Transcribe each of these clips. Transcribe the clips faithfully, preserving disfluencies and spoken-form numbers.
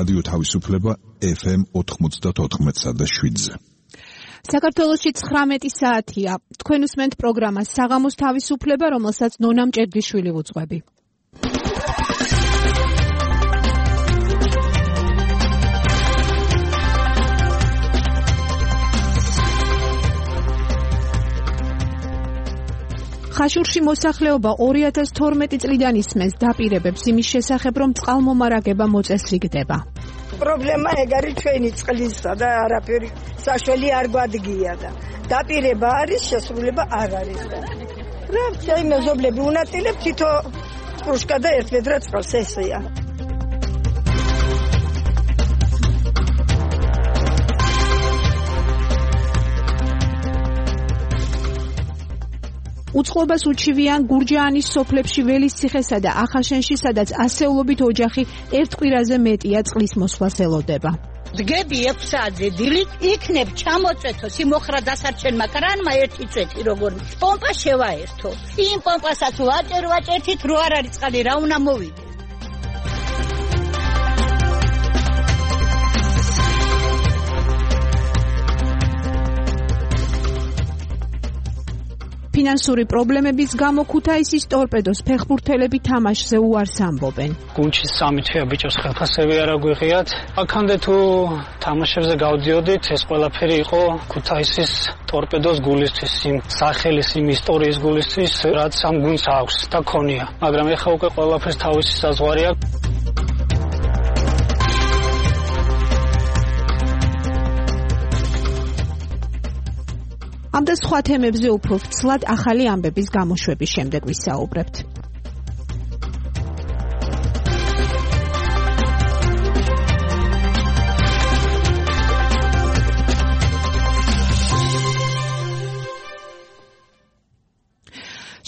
რადიო თავისუფლება ეფ ემ ოთხმოცდაოთხ და შვიდზე. საქართველოში ცხრამეტი საათია. თქვენ უსმენთ პროგრამას საღამოს თავისუფლება, რომელსაც ნონა მჭედლიშვილი ვუძღვები. ხაშურში მოსახლეობა ორი ათას თორმეტი წლიდან ისმენს დაპირებებს იმის შესახებ, რომ წყალმომარაგება მოწესრიგდება. პრობლემა ეგ არის ჩვენი წყლისა და არაფერი საშველი არ გვადგია და დაპირება არის, შესრულება არ არის. რა ვთქვი, მეზობლები უნაწილებ თითო კრუშკა და ერთ ვედრა წყალს, ესეა. უწყლობას უჩივიან გურჯაანის სოფლებში ველის ციხესა და ახაშენში, სადაც ასეულობით ოჯახი ერთ კვირაზე მეტია წყლის მოსვლას ელოდება. დგები ექვსი საათზე დილით, იქნებ ჩამოწვეთო სიმოხრა დასარჩენმა კრანმა ერთი წვეთი როგორ პომპა შევაერთო. იმ პომპასაც ვაჭერ ვაჭერთით რო არ არის წყალი, რა უნდა მოვიდეს. ფინანსური პრობლემების გამო ქუთაისის ტორპედოს ფეხბურთელები თამაშზე უარს ამბობენ. გუნჩის სამი თვეა ბიჭოს ხელფასები არ აგვიღიათ. აქამდე თუ თამაშებზე გავდიოდით, ეს ყველაფერი იყო ქუთაისის ტორპედოს გულისთვის, იმ სახელის, იმ ისტორიის გულისთვის, რაც ამ გუნდს აქვს და ქონია. მაგრამ ეხლა უკვე ყველაფერს თავისი საზღვარი აქვს. ამ და სხვა თემებზე უფრო ფცლად ახალი ამბების გამოშვების შემდეგ ვისაუბრებთ.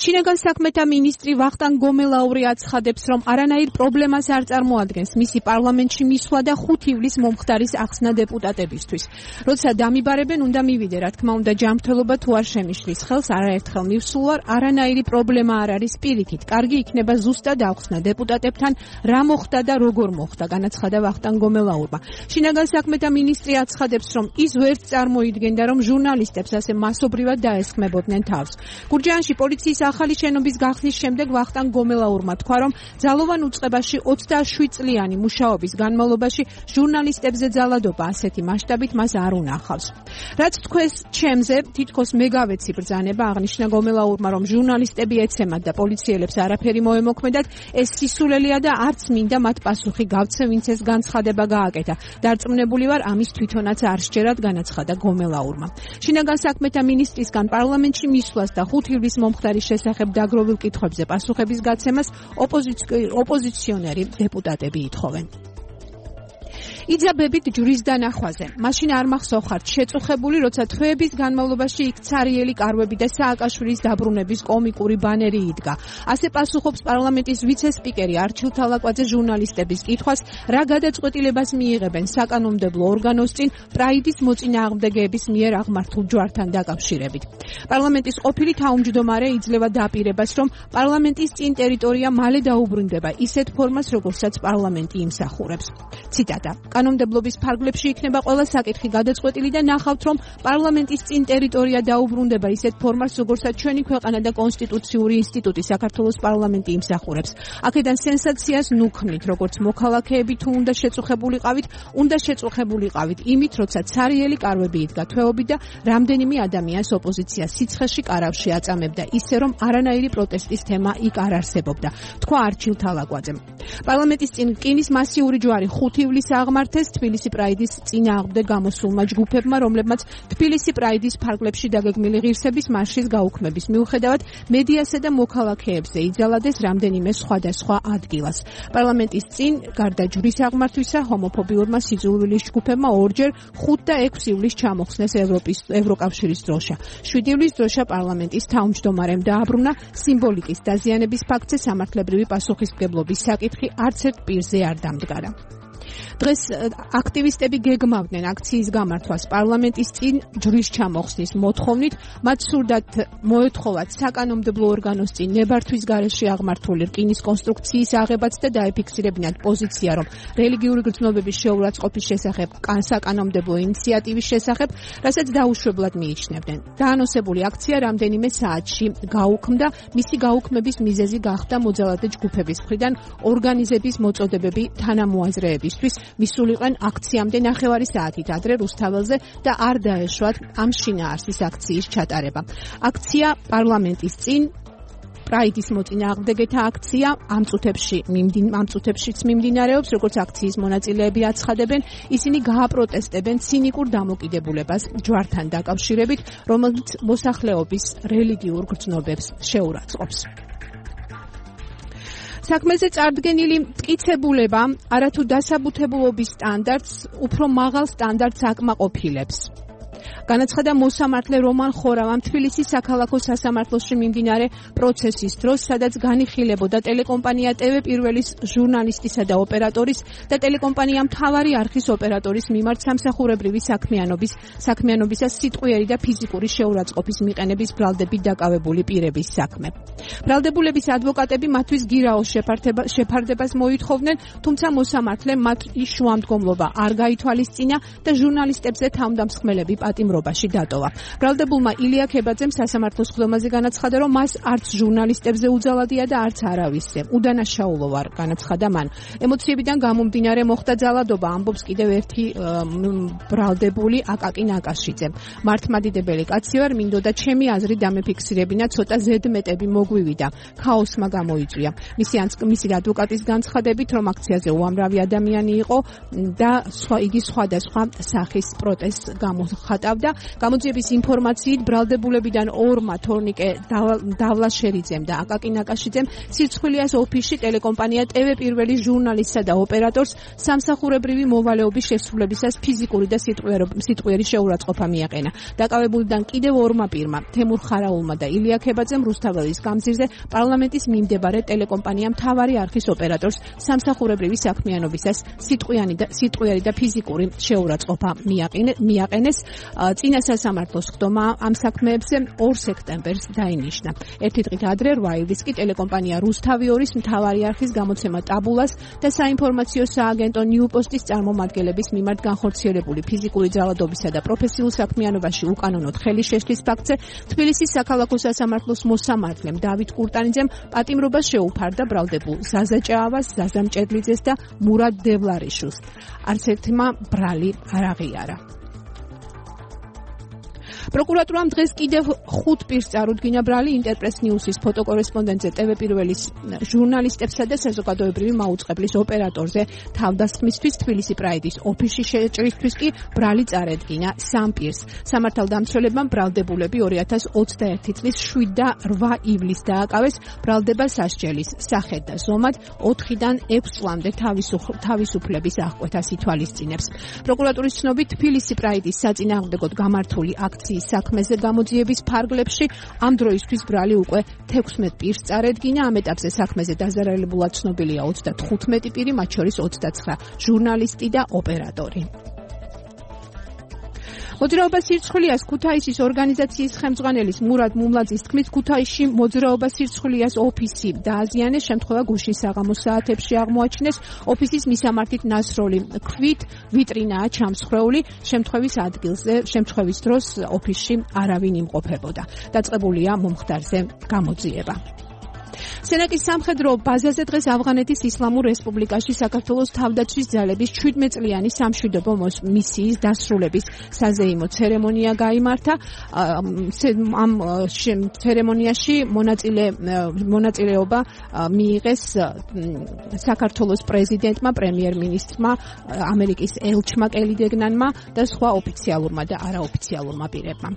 შინაგან საქმეთა მინისტრი ვახტანგ გომელაური აცხადებს, რომ არანაირ პრობლემას არ წარმოადგენს მისი პარლამენტში მისვლა და ხუთი ივლისს მომხდარის ახსნა დეპუტატებისთვის. როცა დამიბარებენ, უნდა მივიდე, რა თქმა უნდა, ჯანმრთელობა თუ არ შემიშლის ხელს, არაერთხელ მივსულ ვარ, არანაირი პრობლემა არ არის პირიქით. კარგი იქნება ზუსტად ახსნა დეპუტატებთან, რა მოხდა და როგორ მოხდა, განაცხადა ვახტანგ გომელაურმა. შინაგან საქმეთა მინისტრი აცხადებს, რომ ის ვერც წარმოიდგენდა, რომ ჟურნალისტებს ასე მასობრივად დაესხმებოდნენ თავს. გურჯაანში პოლიციის ახალი შენობის გახსნის შემდეგ ვახტანგ გომელაურმა თქვა, რომ ძალოვან უწყებაში ოცდაშვიდ წლიანი მუშაობის განმავლობაში ჟურნალისტებზე ძალადობა ასეთი მასშტაბით მას არ უნახავს. რაც თქვენს ჩემზე, თითქოს მე გავეცი ბრძანება, აღნიშნა გომელაურმა, რომ ჟურნალისტები ეცემათ და პოლიციელებს არაფერი მოემოქმედათ, ეს სისულელია და არც მინდა მათ პასუხი გავცე, ვინც ეს განცხადება გააკეთა. დარწმუნებული ვარ, ამის თვითონაც არ სჯერათ, განაცხადა გომელაურმა. შინაგან საქმეთა მინისტრისგან პარლამენტში მისვლას და ხუთი ივლისს მომხდარის შესახებ დაგროვილ კითხვებზე პასუხების გაცემას ოპოზიციონერი დეპუტატები ითხოვენ. იძაბებით ჯვრის დანახვაზე. მაშინ არ მახსოვხართ შეწუხებული, როცა თვეების განმავლობაში იქ ცარიელი კარვები და სააკაშვილის დაბრუნების კომიკური ბანერი იდგა. ასე პასუხობს პარლამენტის ვიცე-სპიკერი არჩილ თალაკვაძე ჟურნალისტების კითხვას, რა გადაწყვეტილებას მიიღებენ საკანონმდებლო ორგანოს წინ პრაიდის მოწინააღმდეგეების მიერ აღმართულ ჯვართან დაკავშირებით. პარლამენტის ყოფილი თავმჯდომარე იძლევა დაპირებას, რომ პარლამენტის წინ ტერიტორია მალე დაუბრუნდება ისეთ ფორმას, როგორცაც პარლამენტი იმსახურებს. ციტატა: კანონმდებლობის ფარგლებში იქნება ყველა საკითხი გადაწყვეტილი და ნახავთ, რომ პარლამენტის წინ ტერიტორია დაუბრუნდება ისეთ ფორმას, როგორცაც ჩვენი ქვეყანა და კონსტიტუციური ინსტიტუტი საქართველოს პარლამენტი იმსახურებს. აქედან სენსაციას ნუქმნით, როგორც მოქალაქეები თუ უნდა შეწუხებულიყავით, უნდა შეწუხებულიყავით იმით, როცა ცარიელი კარვები იდგა თვეობით და რამდენიმე ადამიანს ოპოზიცია სიცხეში კარავში აწამებდა, ისე რომ არანაირი პროტესტის თემა იქ არ არსებობდა, თქვა არჩილ თალაკვაძემ. პარლამენტის წინ რკინის მასიური ჯვარი ხუთი ივლისს აღმართეს თბილისი პრაიდის წინააღმდეგ გამოსულმა ჯგუფებმა, რომლებმაც თბილისი პრაიდის ფარგლებში დაგეგმილი ღირსების მარშის გაუქმების მიუხედავად მედიასა და მოქალაქეებზე იძალადეს რამდენიმე სხვადასხვა ადგილას. პარლამენტის წინ გარდა ჯვრის აღმართვისა, ჰომოფობიურმა სიძულვილის ჯგუფებმა ორჯერ ხუთ და ექვსი ივლისს ჩამოხსნეს ევროპის ევროკავშირის დროშა. შვიდი ივლისს დროშა პარლამენტის თავმჯდომარემ დააბრუნა. სიმბოლიკის დაზიანების ფაქტზე სამართლებრივი პასუხისმგებლობის საკითხი არც ერთ პირზე არ დამდგარა. დღეს აქტივისტები გეგმავდნენ აქციის გამართვას პარლამენტის წინ ჯვრის ჩამოხსნის მოთხოვნით, მათ სურდათ მოეთხოვათ საკანონმდებლო ორგანოს წინ ნებართვის გარეშე აღმართული რკინის კონსტრუქციის აღებაც და დაეფიქსირებინათ პოზიცია, რომ რელიგიური გრძნობების შეურაცხყოფის შესახებ საკანონმდებლო ინიციატივის შესახებ, რასაც დაუშვებლად მიიჩნევდნენ. დაანონსებული აქცია რამდენიმე საათში გაუქმდა, მისი გაუქმების მიზეზი გახდა მოძალადე ჯგუფების მხრიდან ორგანიზების მოწოდებები თანამოაზრეებისთვის, მისულიყვნენ აქციამდე ნახევარი საათით ადრე რუსთაველზე და არ დაეშვათ ამ შინაარსის აქციის ჩატარება. აქცია პარლამენტის წინ პრაიდის მოწინააღმდეგეთა აქცია ამ წუთებში ამ წუთებშიც მიმდინარეობს, როგორც აქციის მონაწილეები აცხადებენ, ისინი გააპროტესტებენ ცინიკურ დამოკიდებულებას ჯვართან დაკავშირებით, რომელიც მოსახლეობის რელიგიურ გრძნობებს შეურაცხყოფს. საქმეზე წარდგენილი მტკიცებულება არათუ დასაბუთებულობის სტანდარტს, უფრო მაღალ სტანდარტს აკმაყოფილებს. განაცხადა მოსამართლე რომან ხორავამ თბილისის საქალაქო სასამართლოში მიმდინარე პროცესის დროს, სადაც განიხილებოდა ტელეკომპანია ტევ პირველის ჟურნალისტისა და ოპერატორის და ტელეკომპანია მთავარი არხის ოპერატორის მიმართ სამსახურებრივი საქმიანობის საქმიანობისას სიტყვიერი და ფიზიკური შეურაცხყოფის მიყენების ბრალდებით დაკავებული პირების საქმე. ბრალდებულების ადვოკატები მათთვის გირაოს შეფარდებას მოითხოვდნენ, თუმცა მოსამართლემ მათ შუამდგომლობა არ გაითვალისწინა და ჟურნალისტებზე თავდამსხმელები პატიმრობაში დატოვა. ბრალდებულმა ილია ქებაძემ სასამართლოს ხდომაზე განაცხადა, რომ მას არც ჟურნალისტებზე უძალადია და არც არავისზე. უდანაშაულო ვარ, განაცხადა მან. ემოციებიდან გამომდინარე მოხდა ძალადობა, ამბობს კიდევ ერთი ბრალდებული აკაკი ნაკაშიძე. მართლმადიდებელი კაცი ვარ, მინდოდა ჩემი აზრი დამეფიქსირებინა, ცოტა ზედმეტები მოგვივიდა. ქაოსმა გამოიწვია. მისი მისი ადვოკატის განცხადებით, რომ აქციაზე უამრავი ადამიანი იყო და იგი სხვადასხვა სახის პროტესტს გამოხატავდა. გამოძიების ინფორმაციით ბრალდებულებიდან ორმა თორნიკე დავლაშერიძემ და აკაკი ნაკაშიძემ სირცხვილიას ოფისში ტელეკომპანია ტევ პირველი ჟურნალისტსა და ოპერატორს სამსახურებრივი მოვალეობის შესრულებისას ფიზიკური და სიტყვიერი შეურაცხყოფა მიაყენა. დაკავებულიდან კიდევ ორმა პირმა, თემურ ხარაულმა და ილია ქებაძემ რუსთაველის გამზირზე პარლამენტის მიმდებარე ტელეკომპანია მთავარი არხის ოპერატორს სამსახურებრივი საქმიანობისას სიტყვიერი და ფიზიკური შეურაცხყოფა მიაყენეს. წინა სასამართლოს ხდომა ამ საქმეებზე ორ სექტემბერს დაინიშნა. ერთი დღით ადრე რვა ივლის კი ტელეკომპანია რუსთავი ორის მთავარი არხის გამოცემა ტაბულას და საინფორმაციო სააგენტო ნიუპოსტის წარმომადგენლების მიმართ განხორციელებული ფიზიკური ძალადობისა და პროფესიულ საქმიანობაში უკანონოდ ხელის შეშლის ფაქტზე თბილისის საქალაქო სასამართლოს მოსამართლემ დავით კურტანიძემ პატიმრობა შეუფარდა ბრალდებულ ზაზა ჭაავას, ზაზა მჭედლიძეს და მურად დევლარიშვილს. არც ერთმა ბრალი არ აღიარა. პროკურატურამ დღეს კიდევ ხუთ პირს წარუდგინა ბრალი ინტერპრეს ნიუსის ფოტოკორესპონდენტზე ტევ პირველის ჟურნალისტებსა და საზოგადოებრივი მაუწყებლის ოპერატორზე თავდასხმისთვის თბილისი პრაიდის ოფისში შეჭრისთვის კი ბრალი წარედგინა სამ პირს. სამართალდამცველებმა ბრალდებულები ორი ათას ოცდაერთი წლის შვიდ და რვა ივლისს დააკავეს ბრალდება სასჯელის სახედ და ზომად ოთხიდან ექვს წლამდე თავისუფლების აღკვეთას ითვალისწინებს. პროკურატურის ცნობით თბილისი პრაიდის საწინააღმდეგოდ გამართული აქციის საქმეზე გამოძიების ფარგლებში ამ დროისთვის ბრალი უკვე თექვსმეტ პირს წარედგინა. ამ ეტაპზე საქმეზე დაზარალებულად ცნობილია ოცდათხუთმეტი პირი, მათ შორის ოცდაცხრა ჟურნალისტი და ოპერატორი. მოძრაობა სირცხვილიას ქუთაისის ორგანიზაციის ხელმძღვანელის მურად მუმლაძის თქმით, ქუთაისში მოძრაობა სირცხვილიას ოფისი დააზიანეს, შემთხვევა გუშინ საღამოს საათებში აღმოაჩინეს. ოფისის მისამართით ნასროლი ქვით ვიტრინაა ჩამსხვრეული, შემთხვევის ადგილზე, შემთხვევის დროს ოფისში არავინ იმყოფებოდა. დაწყებულია მომხდარზე გამოძიება. სენაკის სამხედრო ბაზაზე დღეს ავღანეთის ისლამურ რესპუბლიკაში საქართველოს თავდაცვის ძალების შვიდმეტწლიანი სამშვიდობო მისიის დასრულების საზეიმო ცერემონია გაიმართა. ამ ცერემონიაში მონაწილეობა მიიღეს საქართველოს პრეზიდენტმა, პრემიერ-მინისტრმა, ამერიკის ელჩმა კელი დეგნანმა და სხვა ოფიციალურმა და არაოფიციალურმა პირებმა.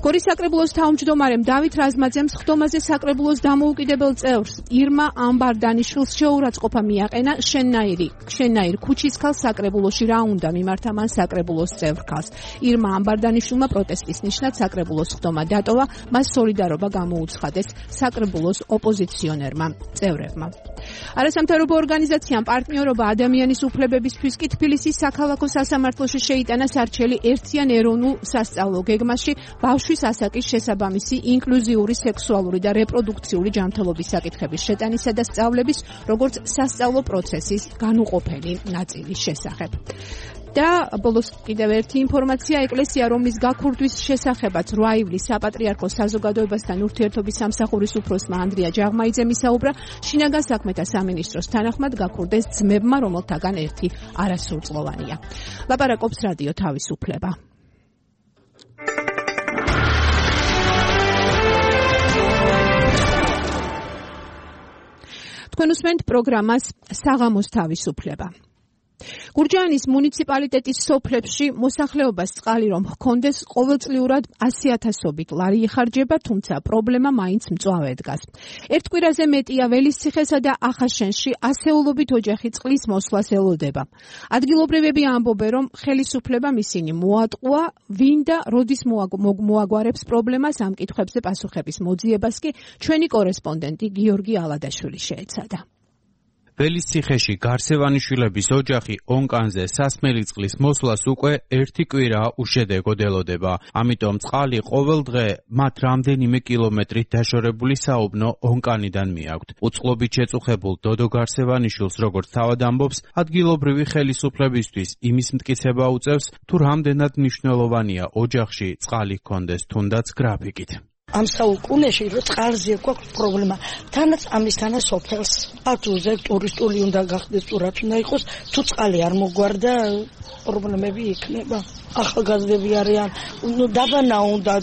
გორის საკრებულოს თავმჯდომარემ დავით რაზმაძემ სხდომაზე საკრებულოს დამოუკიდებელ წევრს ირმა ამბარდანიშვილს შეურაცხყოფა მიაყენა შენნაირი შენნაირ ქუჩის ქალ საკრებულოში რა უნდა მიმართა მან საკრებულოს წევრ ქალს. ირმა ამბარდანიშვილმა პროტესტის ნიშნად საკრებულოს სხდომა დატოვა, მას სოლიდარობა გამოუცხადეს საკრებულოს ოპოზიციონერმა წევრებმა. არასამთავრობო ორგანიზაციამ პარტნიორობა ადამიანის უფლებებისთვის კი თბილისის საქალაქო სასამართლოში შეიტანა სარჩელი ერთიან ეროვნულ სასწავლო გეგმაში ბავშვის ასაკის შესაბამისი ინკლუზიური სექსუალური და რეპროდუქციული ჯანმრთელობის საკითხების შეტანისა და სწავლების, როგორც სასწავლო პროცესის განუყოფელი ნაწილის შესახებ. და ბოლოს კიდევ ერთი ინფორმაცია, ეკლესია, რომლის გაქურთვის შესახებაც რვა ივლისს საპატრიარქოს საზოგადოებასთან ურთიერთობის სამსახურის უფროსმა ანდრია ჯაღმაიძემ ისაუბრა, შინაგან საქმეთა სამინისტროს თანახმად გაქურდეს ძმებმა, რომელთაგან ერთი არასრულწლოვანია. ლაპარაკობს რადიო თავისუფლება. თქვენ უსმენთ პროგრამას საღამოს თავისუფლება. გურჯაანის მუნიციპალიტეტის სოფლებში მოსახლეობას წყალი რომ ჰქონდეს, ყოველწლიურად ასი ათასობით ლარი იხარჯება, თუმცა პრობლემა მაინც მწვავე დგას. ერთ კვირაზე მეტია ველისციხესა და ახაშენში ასეულობით ოჯახი წყლის მოსვლას ელოდება. ადგილობრივები ამბობენ, რომ ხელისუფლებამ ისინი მოატყუა, ვინ და როდის მოაგვარებს პრობლემას, ამ კითხვებზე პასუხების მოძიებას კი ჩვენი კორესპონდენტი გიორგი ალადაშვილი შეეცადა. ველისციხეში გარსევანიშვილების ოჯახი ონკანზე სასმელი წყლის მოსვლას უკვე ერთი კვირა უშედეგოდ ელოდება. ამიტომ წყალი ყოველ დღე მათ რამდენიმე კილომეტრით დაშორებული საუბნო ონკანიდან მიაქვთ. უწყლობით შეწუხებულ დოდო გარსევანიშვილს, როგორც თავად ამბობს, ადგილობრივი ხელისუფლებისთვის იმის მტკიცება უწევს, თუ რამდენად მნიშვნელოვანია ოჯახში წყალი ჰქონდეს თუნდაც გრაფიკით. ამ საუკუნეში რო წყალზე გვაქვს პრობლემა, თანაც ამისთანა სოფელს. ათუზე ტურისტული უნდა გახდეს, თუ რაც უნდა იყოს, თუ წყალი არ მოგვარდა, პრობლემები იქნება. ახალგაზრდები არიან, დაბანა უნდა,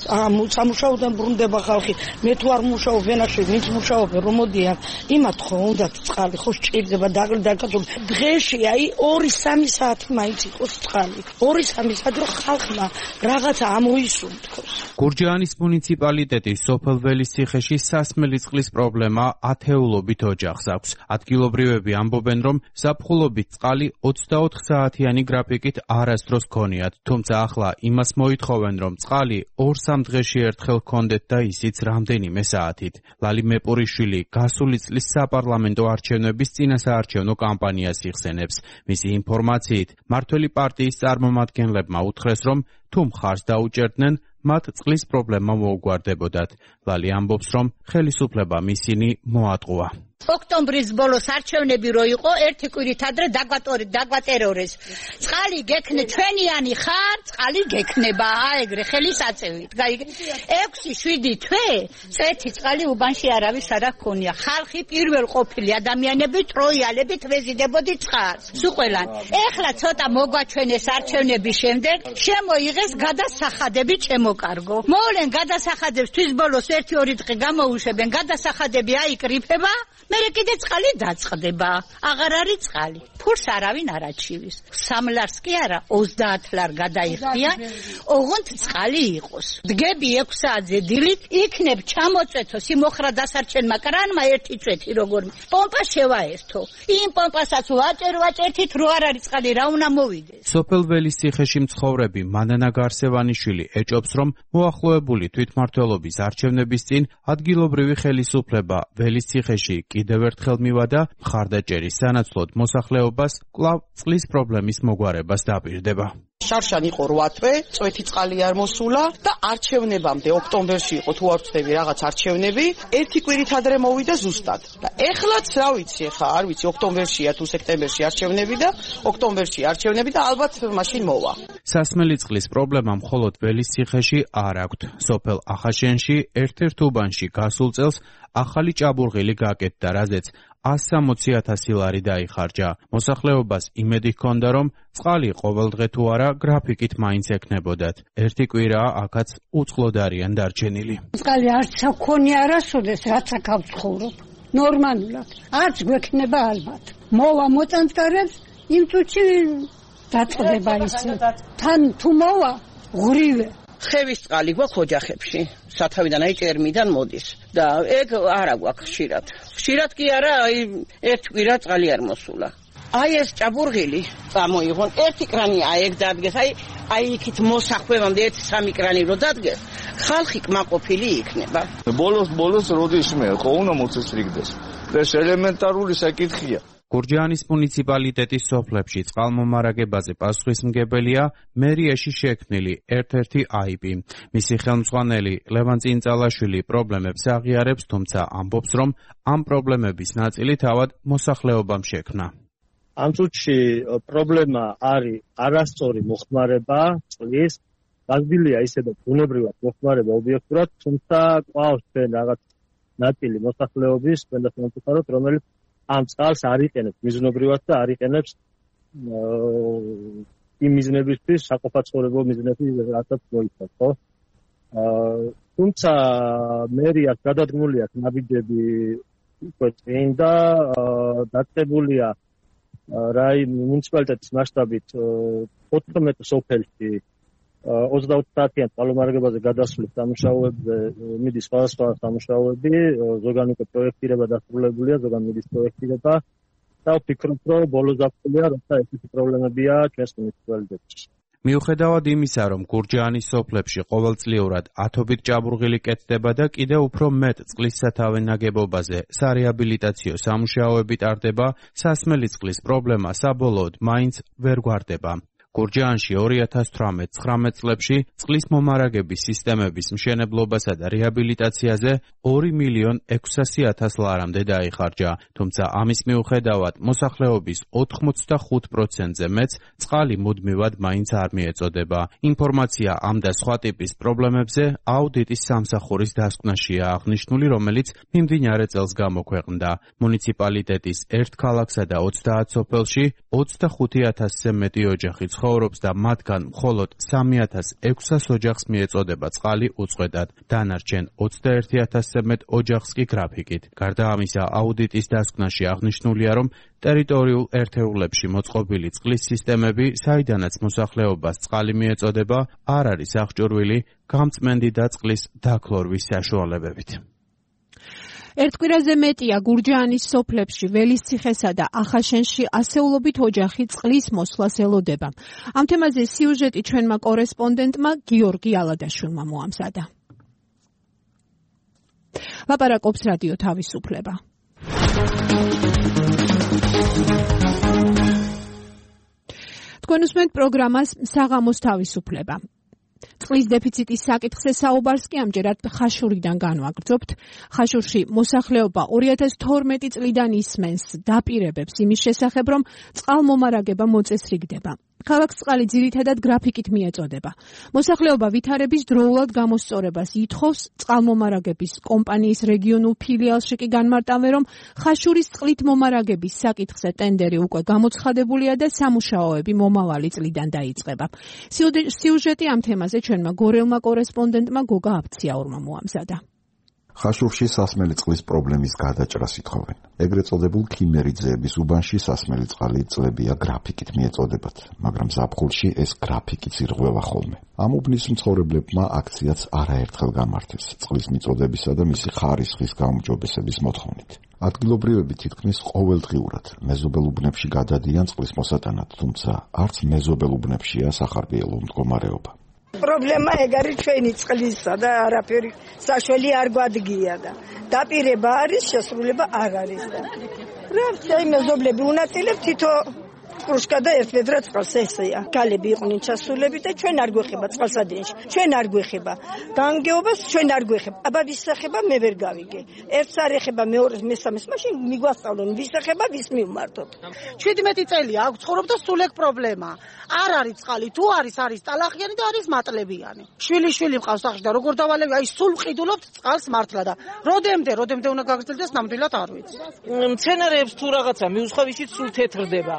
სამუშაოდან ბრუნდება ხალხი. მე თუ არ მუშაობ ვენახში, ვინც მუშაობენ, რომ მოდიან, იმათ ხო უნდა წყალი, ხო სჭირდება დაკატული. დღეში აი ორი სამი საათი მაინც იყოს წყალი. ორი სამი საათი რომ ხალხმა რაღაცა ამოისუნთქოს. გურჯაანის მუნიციპალიტეტის სოფელ ველისციხეში სასმელი წყლის პრობლემა ათეულობით ოჯახს აქვს. ადგილობრივები ამბობენ, რომ ზაფხულობით წყალი ოცდაოთხ საათიანი გრაფიკით არასდროს ქონიათ, თუმცა ახლა იმას მოითხოვენ, რომ წყალი ორ-სამ დღეში ერთხელ ჰქონდეთ და ისიც რამდენიმე საათით. ლალი მეპურიშვილი გასული წლის საპარლამენტო არჩევნების წინასაარჩევნო კამპანიას იხსენებს. მისი ინფორმაციით, მმართველი პარტიის წარმომადგენლებმა უთხრეს, რომ თუ მხარს დაუჭერდნენ, მათ წყლის პრობლემა მოუგვარდებოდათ. ლალი ამბობს, რომ ხელისუფლებამ ისინი მოატყუა. ოქტომბრის ბოლოს არჩევნები რო იყო, ერთი კვირით ადრე დაგვატორეთ, დაგვატერორეს. წყალი გექნე, ჩვენიანი ხარ, წყალი გექნება, აეგრე ხელის აწევით. ექვსი შვიდი თვე წეთი წყალი უბანში არავის არ აქონია. ხალხი პირველ ყოფილი ადამიანები ტროიალებით ვეზიდებოდი წყალს. სუყველან. ეხლა ცოტა მოგვაჩვენეს არჩევნების შემდეგ, შემოიღეს გადასახადები ჩემოკარგო. მოვლენ გადასახადებს თვის ბოლოს ერთი ორი დღე გამოუშვებენ, გადასახადები აიკრიფება. მერე კიდე წყალი დაწყდება. აღარ არის წყალი. ფურს არავინ არ აჩივის. სამ ლარს კი არა, ოცდაათ ლარ გადაიხდია, ოღონდ წყალი იყოს. დგები ექვს საათზე დილით, იქნებ ჩამოწვეთო სიმოხრა დასარჩენმა კრანმა ერთი წვეთი როგორ პომპა შევაერთო. იმ პომპასაც ვაჭერ ვაჭერთით რო არ არის წყალი, რა უნდა მოვიდეს. სოფელ ველისციხეში მცხოვრები მანანა გარსევანიშვილი ეჭობს, რომ მოახლოებული თვითმმართველობის არჩევნების წინ ადგილობრივი ხელისუფლება ველისციხეში კიდევ ერთხელ მივადა მხარდაჭერის სანაცვლოდ მოსახლეობას კვლავ წყლის პრობლემის მოგვარებას დაპირდება. შარშან იყო რვა თვე, წვეთი წყალი არ მოსულა და არჩევნებამდე ოქტომბერში იყო თუ არ ვწდები რაღაც არჩევნები, ერთი კვირით ადრე მოვიდა ზუსტად. და ეხლაც რა ვიცი, ხა არ ვიცი, ოქტომბერშია თუ სექტემბერში არჩევნები და ოქტომბერში არჩევნები და ალბათ მაშინ მოვა. სასმელი წყლის პრობლემა მხოლოდ ველისციხეში არ აქვთ. სოფელ ახაშენში ერთ-ერთ უბანში გასულ წელს ახალი ჭაბურღილი გაკეთდა, რაზეც ას სამოცი ათასი ლარი დაიხარჯა. მოსახლეობას იმედი ჰქონდა, რომ წყალი ყოველ დღე თუ არა გრაფიკით მაინც ექნებოდათ. ერთი კვირაა აქაც უწყლოდ არიან დარჩენილი. წყალი არც აქონია არასოდეს, რაც აქ ავცხოვრობ. ნორმალურად. არც გვექნება ალბათ. მოვა მოწანწკარებს, იმ წუთში დაწყდება ისე. თან თუ მოვა, ღრივე. ცხევის წყალი გვაქვს ოჯახებში, სათავიდან აი ჭერმიდან მოდის და ეგ არა გვაქვს ხშირად. ხშირად კი არა, აი ერთ კვირა წყალი არ მოსულა. აი ეს ჭაბურღილი წამოიღონ, ერთი კრანი აი ეგ დადგეს, აი აი იქით მოსახვევამდე ერთი სამი კრანი რო დადგეს, ხალხი კმაყოფილი იქნება. ბოლოს ბოლოს როდის მე ხო უნდა მოწესრიგდეს. ეს ელემენტარული საკითხია. გურჯაანის მუნიციპალიტეტის სოფლებში წყალმომარაგებაზე პასუხისმგებელია მერიაში შექმნილი ერთ-ერთი აიპი. მისი ხელმძღვანელი ლევან წინწალაშვილი პრობლემებს აღიარებს, თუმცა ამბობს, რომ ამ პრობლემების ნაწილი თავად მოსახლეობამ შექმნა. ამ წუთში პრობლემა არის არასწორი მოხმარება წყლის, გაზრდილია ისედაც ბუნებრივად მოხმარება ობიექტურად, თუმცა ყავს ჩვენ რაღაც ნაწილი მოსახლეობის, თქვენ დასამართლებლად, რომელიც ამ წყალს არ იყენებს მიზნობრივად და არ იყენებს იმ მიზნებისთვის, საყოფაცხოვრებო მიზნებისთვის, რასაც მოიცავს, ხო? თუმცა მერიას გადადგმული აქვს ნაბიჯები უკვე წინ და დაწყებულია რაი მუნიციპალიტეტის მასშტაბით ოთხმეტ სოფელში ოცდაოთხ საათიან წყალმომარაგებაზე გადასვლის სამუშაოებზე მიდის სხვადასხვა სამუშაოები, ზოგან უკვე პროექტირება დასრულებულია, ზოგან მიდის პროექტირება და ვფიქრობ, რომ ბოლო ზაფხულია, როცა ესეთი პრობლემებია ჩვენს მუნიციპალიტეტში. მიუხედავად იმისა, რომ გურჯაანის სოფლებში ყოველწლიურად ათობით ჭაბურღილი კეთდება და კიდევ უფრო მეტ წყლის სათავე ნაგებობაზე სარეაბილიტაციო სამუშაოები ტარდება, სასმელი წყლის პრობლემა საბოლოოდ მაინც ვერ გვარდება. გურჯაანში ორი ათას თვრამეტ ცხრამეტ წლებში წყლის მომარაგების სისტემების მშენებლობასა და რეაბილიტაციაზე ორი მილიონ ექვსასი ათას ლარამდე დაიხარჯა, თუმცა ამის მიუხედავად მოსახლეობის ოთხმოცდახუთ პროცენტზე მეც წყალი მუდმივად მაინც არ მიეწოდება. ინფორმაცია ამ და სხვა ტიპის პრობლემებზე აუდიტის სამსახურის დასკვნაშია აღნიშნული, რომელიც მიმდინარე წელს გამოქვეყნდა. მუნიციპალიტეტის ერთ ქალაქსა და ოცდაათ სოფელში ოცდახუთი ათასზე მეტი ოჯახი ცხოვრობს და მათგან მხოლოდ სამი ათას ექვსას ოჯახს მიეწოდება წყალი უწყვეტად. დანარჩენ ოცდაერთი ათასზე მეტ ოჯახს კი გრაფიკით. გარდა ამისა, აუდიტის დასკვნაში აღნიშნულია, რომ ტერიტორიულ ერთეულებში მოწყობილი წყლის სისტემები, საიდანაც მოსახლეობას წყალი მიეწოდება, არ არის აღჭურვილი გამწმენდი და წყლის დაქლორვის საშუალებებით. ერთ კვირაზე მეტია გურჯაანის სოფლებში, ველისციხესა და ახაშენში ასეულობით ოჯახი წყლის მოსვლას ელოდება. ამ თემაზე სიუჟეტი ჩვენმა კორესპონდენტმა გიორგი ალადაშვილმა მოამზადა. ლაპარაკობს რადიო თავისუფლება. თქვენ უსმენთ პროგრამას საღამოს თავისუფლება. წყლის დეფიციტის საკითხზე საუბარს კი ამჯერად ხაშურიდან განვაგრძობთ. ხაშურში მოსახლეობა ორი ათას თორმეტი წლიდან ისმენს დაპირებებს იმის შესახებ, რომ წყალმომარაგება მოწესრიგდება. ქალაქს წყალი ძირითადად გრაფიკით მიეწოდება. მოსახლეობა ვითარების დროულად გამოსწორებას ითხოვს, წყალმომარაგების კომპანიის რეგიონულ ფილიალში კი განმარტავენ, რომ ხაშურის წყლით მომარაგების საკითხზე ტენდერი უკვე გამოცხადებულია და სამუშაოები მომავალი წლიდან დაიწყება. სიუჟეტი ამ თემაზე ჩვენმა გორელმა კორესპონდენტმა გოგა აბციაურმა მოამზადა. ხაშურში სასმელი წყლის პრობლემის გადაჭრას ითხოვენ. ეგრეთ წოდებულ ქიმერიძეების უბანში სასმელი წყალი წლებია გრაფიკით მიეწოდებათ, მაგრამ ზაფხულში ეს გრაფიკიც ირღვევა ხოლმე. ამ უბნის მცხოვრებლებმა აქციაც არაერთხელ გამართეს წყლის მიწოდებისა და მისი ხარისხის გაუმჯობესების მოთხოვნით. ადგილობრივები თითქმის ყოველდღიურად მეზობელ უბნებში გადადიან წყლის მოსატანად, თუმცა არც მეზობელ უბნებშია სახარბიელო მდგომარეობა. პრობლემა ეგ არის ჩვენი წყლისა და არაფერი საშველი არ გვადგია და დაპირება არის, შესრულება არ არის და რა ვთქვი, მეზობლები უნაწილებ თითო კრუშკა და ერთ ვედრა წყალს ესეა. გალები იყვნენ ჩასულები და ჩვენ არ გვეხება წყალსადენში. ჩვენ არ გვეხება. განგეობას ჩვენ არ გვეხება. აბა ვისახება მე ვერ გავიგე. ერთს არ ეხება, მეორეს, მესამეს, მაშინ მიგვასწავლონ ვისახება, ვის მივმართოთ. ჩვიდმეტი წელი აქვს ცხოვრობ და სულ ეგ პრობლემა. არ არის წყალი, თუ არის, არის ტალახიანი და არის მატლებიანი. შვილი შვილი მყავს სახში და როგორ დავალები, აი სულ ვყიდულობთ წყალს მართლა და როდემდე, როდემდე უნდა გაგრძელდეს, ნამდვილად არ ვიცი. მცენარეებს თუ რაღაცა მიუსხავ, ისიც სულ თეთრდება.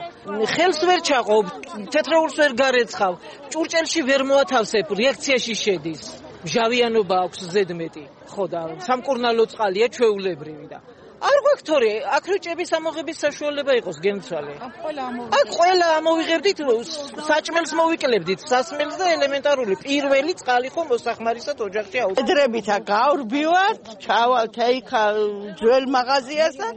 ხელს ვერ ჩაყობ, თეთრეულს ვერ გარეცხავ, ჭურჭელში ვერ მოათავსებ, რეაქციაში შედის. მჟავიანობა აქვს ზედმეტი, ხო და სამკურნალო წყალია ჩვეულებრივი და არ გვაქვს თორე, აქ როჭების ამოღების საშუალება იყოს გემთვალე. აქ ყველა ამოვიღებდით, საჭმელს მოვიკლებდით, სასმელს და ელემენტარული პირველი წყალი ხო მოსახმარისად ოჯახში აუწევთ. ედრებითა გავრბივართ, ჩავალთ აიქა ძველ მაღაზიას და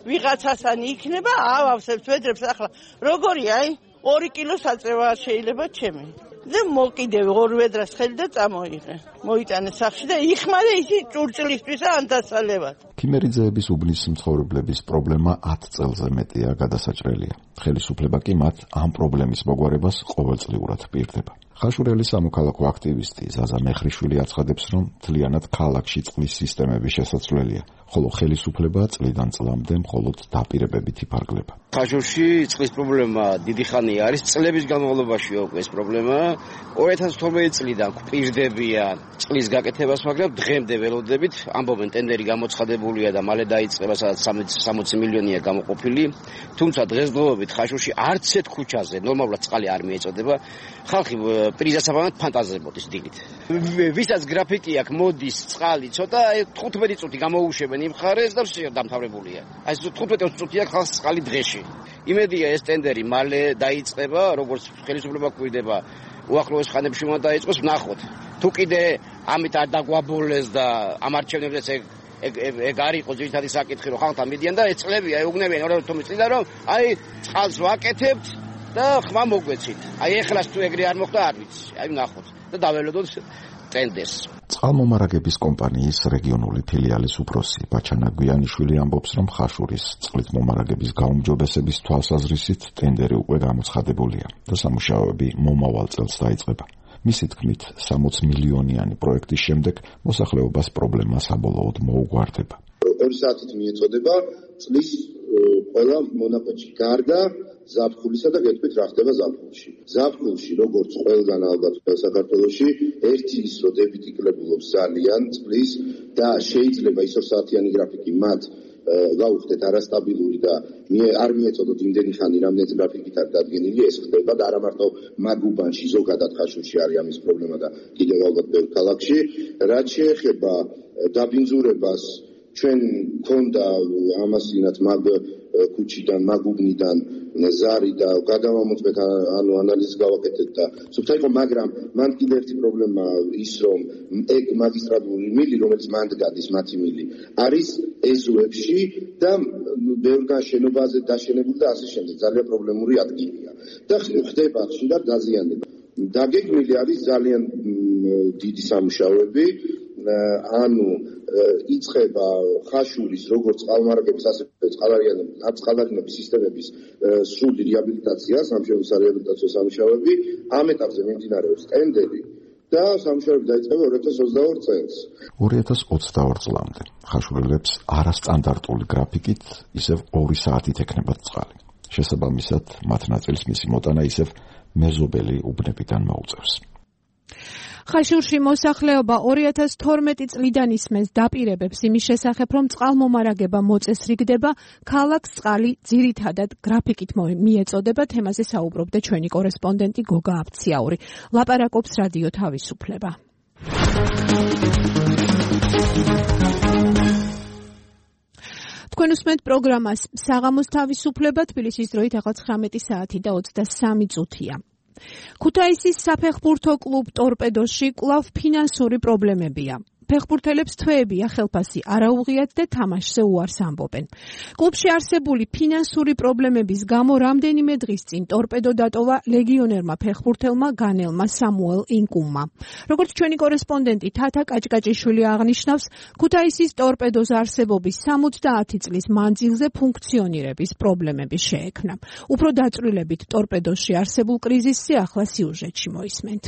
ვიღაცასთან იქნება, ავავსებთ ვედრებს ახლა. როგორია, აი, ორი კილო საწევა შეიძლება ჩემი. და მოკიდე ორ ვედრას ხელი და წამოიღე. მოიტანე სახში და იხმარე ისი ჭურჭლისთვისა ან დასალებად. ქიმერიძეების უბნის მცხოვრებლების პრობლემა ათ წელზე მეტია გადასაჭრელია. ხელისუფლება კი მათ ამ პრობლემის მოგვარებას ყოველწლიურად პირდება. ხაშურელი სამოქალაქო აქტივისტი ზაზა მეხრიშვილი აცხადებს, რომ მთლიანად ქალაქში წყლის სისტემები შესაძლებელია, ხოლო ხელისუფლება წლიდან წლამდე მხოლოდ დაპირებებით იფარგლება. ხაშურში წყლის პრობლემა დიდი ხანია არის, წლების განმავლობაშია უკვე ეს პრობლემა. ორი ათას თორმეტი წლიდან გვპირდებიან წყლის გაკეთებას, მაგრამ დღემდე ველოდებით, ამბობენ ტენდერი გამოცხადებულია და მალე დაიწყება, სადაც სამოცი მილიონია გამოყოფილი. თუმცა დღესდღეობით ხაშურში არც ერთ ქუჩაზე ნორმალურად წყალი არ მიეწოდება. ხალხი პრიზასაბამად ფანტაზებოდის დილით. ვისაც გრაფიკი აქვს, მოდის წყალი ცოტა თხუთმეტი წუთი გამოუშვებენ იმ მხარეს და ვსია დამთავრებულია. აი თხუთმეტი წუთი აქვს ხალხს წყალი დღეში. იმედია ეს ტენდერი მალე დაიწყება, როგორც ხელისუფლება გვიდება, უახლოეს ხანებში უნდა დაიწყოს, ვნახოთ. თუ კიდე ამით არ დაგვაბოლეს და ამ არჩევნებს ეგ ეგ არ იყო ძირითადი საკითხი, რომ ხალხთან მიდიან და ეწლებია, ეუბნებიან ორი თომის წლიდან, რომ აი წყალს ვაკეთებთ და ხმა მოგვეცით. აი ეხლას თუ ეგრე არ მოხდა არ ვიცი. აი ვნახოთ და დაველოდოთ ტენდერს. წყალმომარაგების კომპანიის რეგიონული ფილიალის უფროსი ბაჩანა გვიანიშვილი ამბობს, რომ ხაშურის წყლით მომარაგების გაუმჯობესების თვალსაზრისით ტენდერი უკვე გამოცხადებულია და სამუშაოები მომავალ წელს დაიწყება. მისი თქმით, სამოცი მილიონიანი პროექტის შემდეგ მოსახლეობას პრობლემა საბოლოოდ მოუგვარდება. ორი საათით მიეწოდება წყლის ყველა მონაკვეთში. გარდა ზაფხულისა და გეტყვით რა ხდება ზაფხულში. ზაფხულში, როგორც ყველგან ალბათ საქართველოში, ერთი ის რომ დებიტი კლებულობს ძალიან წყლის და შეიძლება ის ორ საათიანი გრაფიკი მათ გავუხდეთ არასტაბილური და არ მიეწოდოთ იმდენი ხანი, რამდენიც გრაფიკით არ დადგენილი, ეს ხდება და არა მარტო მაგუბანში, ზოგადად ხაშურში არის ამის პრობლემა და კიდევ ალბათ ბევრ ქალაქში. რაც შეეხება დაბინძურებას, ჩვენ გქონდა ამასინათ მაგ ქუჩიდან, მაგუბნიდან ზარი და გადავამოწმეთ, ანუ ანალიზი გავაკეთეთ და სულ იყო, მაგრამ მან კიდევ ერთი პრობლემა ის, რომ ეგ მაგისტრალური მილი, რომელიც მანდ გადის მათი მილი, არის ეზოებში და ბევრგან შენობაზე დაშენებული და ასე შემდეგ. ძალიან პრობლემური ადგილია. და ხდება ხშირად დაზიანება. დაგეგმილი არის ძალიან დიდი სამუშაოები, ანუ იწყება ხაშურის როგორც წყალმომარაგების ასევე წყალარიანების სისტემების სრული რეაბილიტაცია, სამშობლოს რეაბილიტაციო სამუშაოები. ამ ეტაპზე მიმდინარეობს ტენდერი და სამუშაოები დაიწყება ორი ათას ოცდაორი წელს. ორი ათას ოცდაორი წლამდე ხაშურელებს არასტანდარტული გრაფიკით ისევ ორი საათით ექნებათ წყალი. შესაბამისად, მათ ნაწილს მისი მოტანა ისევ მეზობელი უბნებიდან მოუწევს. ხაშურში მოსახლეობა ორი ათას თორმეტი წლიდან ისმენს დაპირებებს იმის შესახებ, რომ წყალმომარაგება მოწესრიგდება, ქალაქს წყალი ძირითადად გრაფიკით მიეწოდება. თემაზე საუბრობდა ჩვენი კორესპონდენტი გოგა აფციაური. ლაპარაკობს რადიო თავისუფლება. თქვენ უსმენთ პროგრამას საღამოს თავისუფლება, თბილისის დროით ახლა ცხრამეტი საათი და ოცდასამი წუთია. ქუთაისის საფეხბურთო კლუბ ტორპედოში კვლავ ფინანსური პრობლემებია. ფეხბურთელებს თვეებია ხელფასი არ აუღიათ და თამაშზე უარს ამბობენ. კლუბში არსებული ფინანსური პრობლემების გამო რამდენიმე დღის წინ ტორპედო დატოვა ლეგიონერმა ფეხბურთელმა განელმა სამუელ ინკუმმა. როგორც ჩვენი კორესპონდენტი თათა კაჭკაჭიშვილი აღნიშნავს, ქუთაისის ტორპედოს არსებობის სამოცდაათი წლის მანძილზე ფუნქციონირების პრობლემები შეექმნა. უფრო დაწვრილებით ტორპედოში არსებულ კრიზისზე ახლა სიუჟეტში მოისმენთ.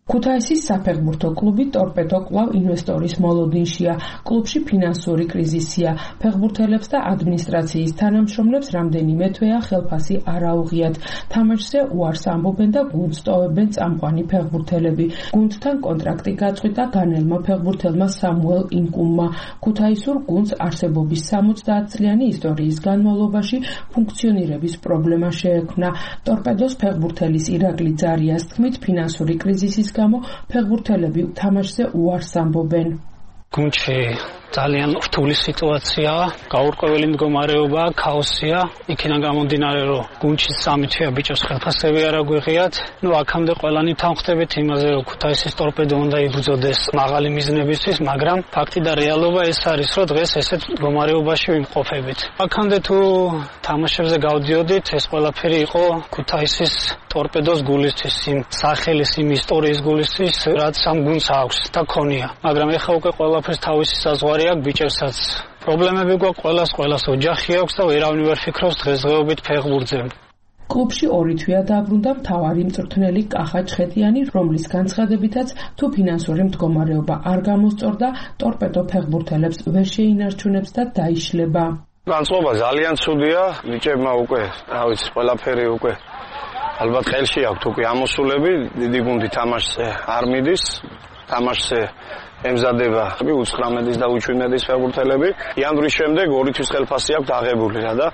ქუთაისის საფეხბურთო კლუბი ტორპედო კვლავ ინვესტორის მოლოდინშია. კლუბში ფინანსური კრიზისია. ფეხბურთელებს და ადმინისტრაციის თანამშრომლებს რამდენიმე თვეა ხელფასი არ აუღიათ. თამაშზე უარს ამბობენ და გუნდს ტოვებენ წამყვანი ფეხბურთელები. გუნდთან კონტრაქტი გაწყვიტა განელმა ფეხბურთელმა სამუელ ინკუმმა. ქუთაისურ გუნდს არსებობის სამოცდაათი წლიანი ისტორიის განმავლობაში ფუნქციონირების პრობლემა შეექმნა. ტორპედოს ფეხბურთელის ირაკლი ძარიას თქმით, ფინანსური კრიზისის გამო ფეხბურთელები თამაშზე უარს ამბობენ. გუნდში ძალიან რთული სიტუაციაა, გაურკვეველი მდგომარეობა, ქაოსია. იქიდან გამომდინარე, რომ გუნდში სამი თვეა ბიჭებს ხელფასები არ აგვიღიათ. ნუ აქამდე ყველანი თანხმდებით იმაზე, რომ ქუთაისის ტორპედო უნდა იბრძოდეს მაღალი მიზნებისთვის, მაგრამ ფაქტი და რეალობა ეს არის, რომ დღეს ესეთ მდგომარეობაში ვიმყოფებით. აქამდე თუ თამაშებზე გავდიოდით, ეს ყველაფერი იყო ქუთაისის ტორპედოს გულისთვის, იმ სახელის, იმ ისტორიის გულისთვის, რაც ამ გუნდს აქვს და ქონია. მაგრამ ეხლა უკვე ყველაფერს თავისი საზღვარი აქ ბიჭებსაც პრობლემები გვაქვს, ყველას ყველას ოჯახი აქვს და ვერავინ ვერ ფიქრობს დღესდღეობით ფეხბურთზე. კლუბში ორი თვეა დაბრუნდა მთავარი მწვრთნელი კახა ჩხეტიანი, რომლის განცხადებითაც თუ ფინანსური მდგომარეობა არ გამოსწორდა, ტორპედო ფეხბურთელებს ვერ შეინარჩუნებს და დაიშლება. განწყობა ძალიან ცუდია, ბიჭებმა უკვე, რა ვიცი, ყველაფერი უკვე ალბათ ხელში აქვთ უკვე ამოსულები, დიდი გუნდი თამაშზე არ მიდის, თამაშზე ემზადება უცხრამეტის და უჩვენების ფეხბურთელები. იანვრის შემდეგ ორი თვის ხელფასი აქვს აღებული რა და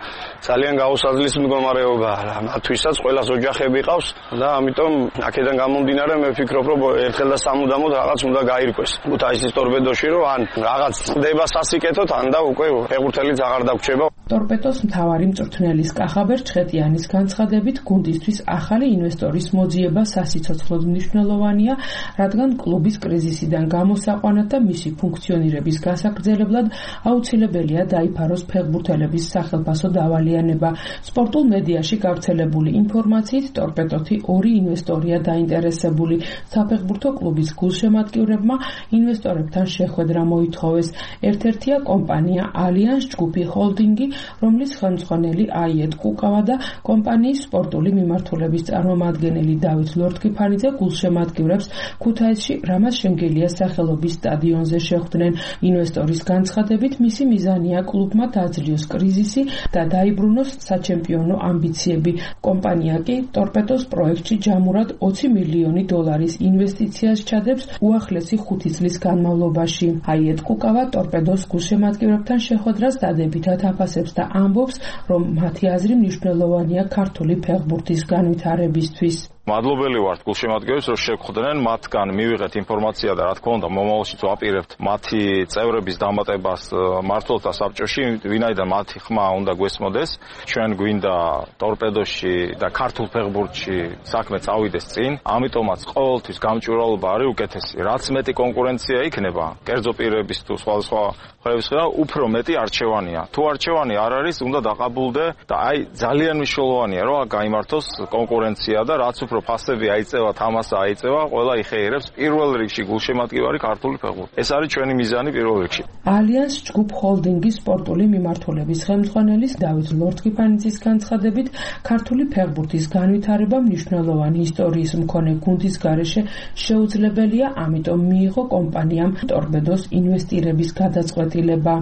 ძალიან გაუსაძლის მდგომარეობაა რა. მათთვისაც ყველას ოჯახები ყავს და ამიტომ აქედან გამომდინარე მე ვფიქრობ, რომ ერთხელ და სამუდამოდ რაღაც უნდა გაირკვეს. ქუთაისის ტორპედოში რომ ან რაღაც წდება სასიკეთოდ, ან და უკვე ფეხბურთელიც აღარ დაგვრჩება. ტორპედოს მთავარი მწვრთნელის კახაბერ ჩხეტიანის განცხადებით, გუნდისთვის ახალი ინვესტორის მოძიება სასიცოცხლოდ მნიშვნელოვანია, რადგან კლუბის კრიზისიდან გამოსაყვანად და მისი ფუნქციონირების გასაგრძელებლად აუცილებელია დაიფაროს ფეხბურთელების სახელფასო დავალიანება. სპორტულ მედიაში გავრცელებული ინფორმაციით, ტორპედოთი ორი ინვესტორია დაინტერესებული. საფეხბურთო კლუბის გულშემატკივრებმა ინვესტორებთან შეხვედრა მოითხოვეს. ერთ-ერთია კომპანია ალიანს ჯგუფი ჰოლდინგი, რომლის ხელმძღვანელი აიეტ კუკავა და კომპანიის სპორტული მიმართულების წარმომადგენელი დავით ლორთქიფანიძე გულშემატკივრებს ქუთაისში რამაზ შენგელიას სახელობის სტადიონზე შეხვდნენ. ინვესტორის განცხადებით, მისი მიზანია კლუბმა დაძლიოს კრიზისი და დაიბრუნოს საჩემპიონო ამბიციები. კომპანია კი ტორპედოს პროექტში ჯამურად ოცი მილიონი დოლარის ინვესტიციას ჩადებს უახლესი ხუთი წლის განმავლობაში. აიეტ კუკავა ტორპედოს გულშემატკივრებთან შეხვედრას დადებითად აფასებს და ამბობს, რომ მათი აზრი მნიშვნელოვანია ქართული ფეხბურთის განვითარებისთვის. მადლობელი ვართ გულშემატკივრებს, რომ შეგხვდნენ, მათგან მივიღეთ ინფორმაცია და რა თქმა უნდა მომავალშიც ვაპირებთ მათი წევრების დამატებას მმართველთა საბჭოში, ვინაიდან მათი ხმა უნდა გვესმოდეს. ჩვენ გვინდა ტორპედოში და ქართულ ფეხბურთში საქმე წავიდეს წინ, ამიტომაც ყოველთვის გამჭვირვალობა არის უკეთესი. რაც მეტი კონკურენცია იქნება, კერძო პირების თუ სხვადასხვა ხმების ხდა, უფრო მეტი არჩევანია. თუ არჩევანი არ არის, უნდა დაყაბულდე და აი ძალიან მნიშვნელოვანია, რომ გაიმართოს კონკურენცია და რაც უფრო ფასები აიწევა, თამასა აიწევა, ყველა იხეირებს პირველ რიგში გულშემატკივარი ქართული ფეხბურთი. ეს არის ჩვენი მიზანი პირველ რიგში. ალიანს ჯგუფ ჰოლდინგის სპორტული მიმართულების ხელმძღვანელის დავით ლორთქიფანიძის განცხადებით, ქართული ფეხბურთის განვითარება მნიშვნელოვანი ისტორიის მქონე გუნდის გარეშე შეუძლებელია, ამიტომ მიიღო კომპანიამ ტორპედოს ინვესტირების გადაწყვეტილება.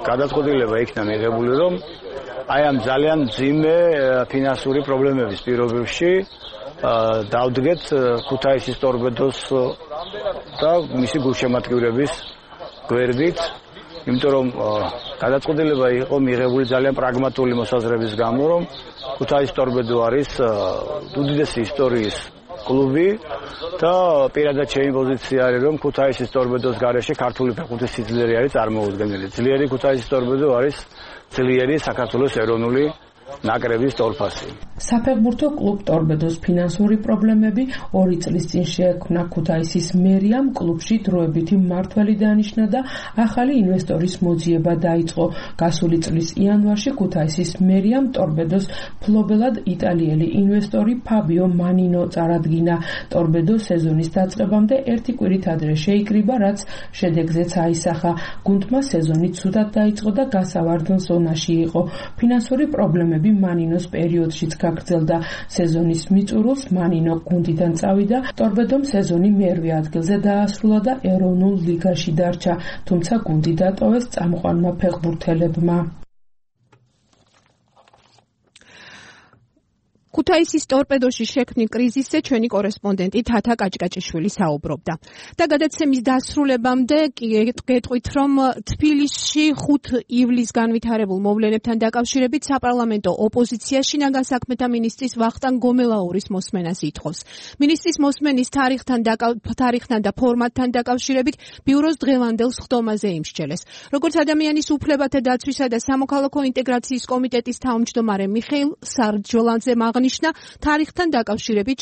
გადაწყვეტილება იქნა მიღებული, რომ აი ამ ძალიან მძიმე ფინანსური პრობლემების პირობებში დავდგეთ ქუთაისის ტორპედოს და მისი გულშემატკივრების გვერდით, იმიტომ რომ გადაწყვეტილება იყო მიღებული ძალიან პრაგმატული მოსაზრების გამო, რომ ქუთაისის ტორპედო არის უდიდესი ისტორიის კლუბი და პირადად ჩემი პოზიცია არის, რომ ქუთაისის ტორპედოს გარეშე ქართული ფეხბურთის სიძლიერე არის წარმოუდგენელი. ძლიერი ქუთაისის ტორპედო არის ძლიერი საქართველოს ეროვნული ნაკრების ტოლფასი. საფეხბურთო კლუბ ტორპედოს ფინანსური პრობლემები ორი წლის წინ შეექმნა ქუთაისის მერიამ, კლუბში დროებითი მმართველი დანიშნა და ახალი ინვესტორის მოძიება დაიწყო. გასული წლის იანვარში ქუთაისის მერიამ ტორპედოს ფლობელად იტალიელი ინვესტორი ფაბიო მანინო წარადგინა. ტორპედო სეზონის დაწყებამდე ერთი კვირით ადრე შეიკრიბა, რაც შედეგზეც აისახა. გუნდმა სეზონი ცუდად დაიწყო და გასავარდ ზონაში იყო. ფინანსური პრობლემები მანინოს პერიოდშიც გაგრძელდა. სეზონის მიწურულს მანინო გუნდიდან წავიდა, ტორპედომ სეზონი მერვე ადგილზე დაასრულა და ეროვნულ ლიგაში დარჩა, თუმცა გუნდი დატოვეს წამყვანმა ფეხბურთელებმა. ქუთაისის ტორპედოში შექმნილ კრიზისზე ჩვენი კორესპონდენტი თათა კაჭკაჭიშვილი საუბრობდა. და გადაცემის დასრულებამდე გეტყვით, რომ თბილისში ხუთ ივლისს განვითარებულ მოვლენებთან დაკავშირებით საპარლამენტო ოპოზიცია შინაგან საქმეთა მინისტრის ვახტანგ გომელაურის მოსმენას ითხოვს. მინისტრის მოსმენის თარიღთან თარიღთან და ფორმატთან დაკავშირებით ბიუროს დღევანდელ სხდომაზე იმსჯელეს. როგორც ადამიანის უფლებათა დაცვისა და სამოქალაქო ინტეგრაციის კომიტეტის თავმჯდომარე მიხეილ სარჯოლანძემ აღნიშნა, თარიღთან დაკავშირებით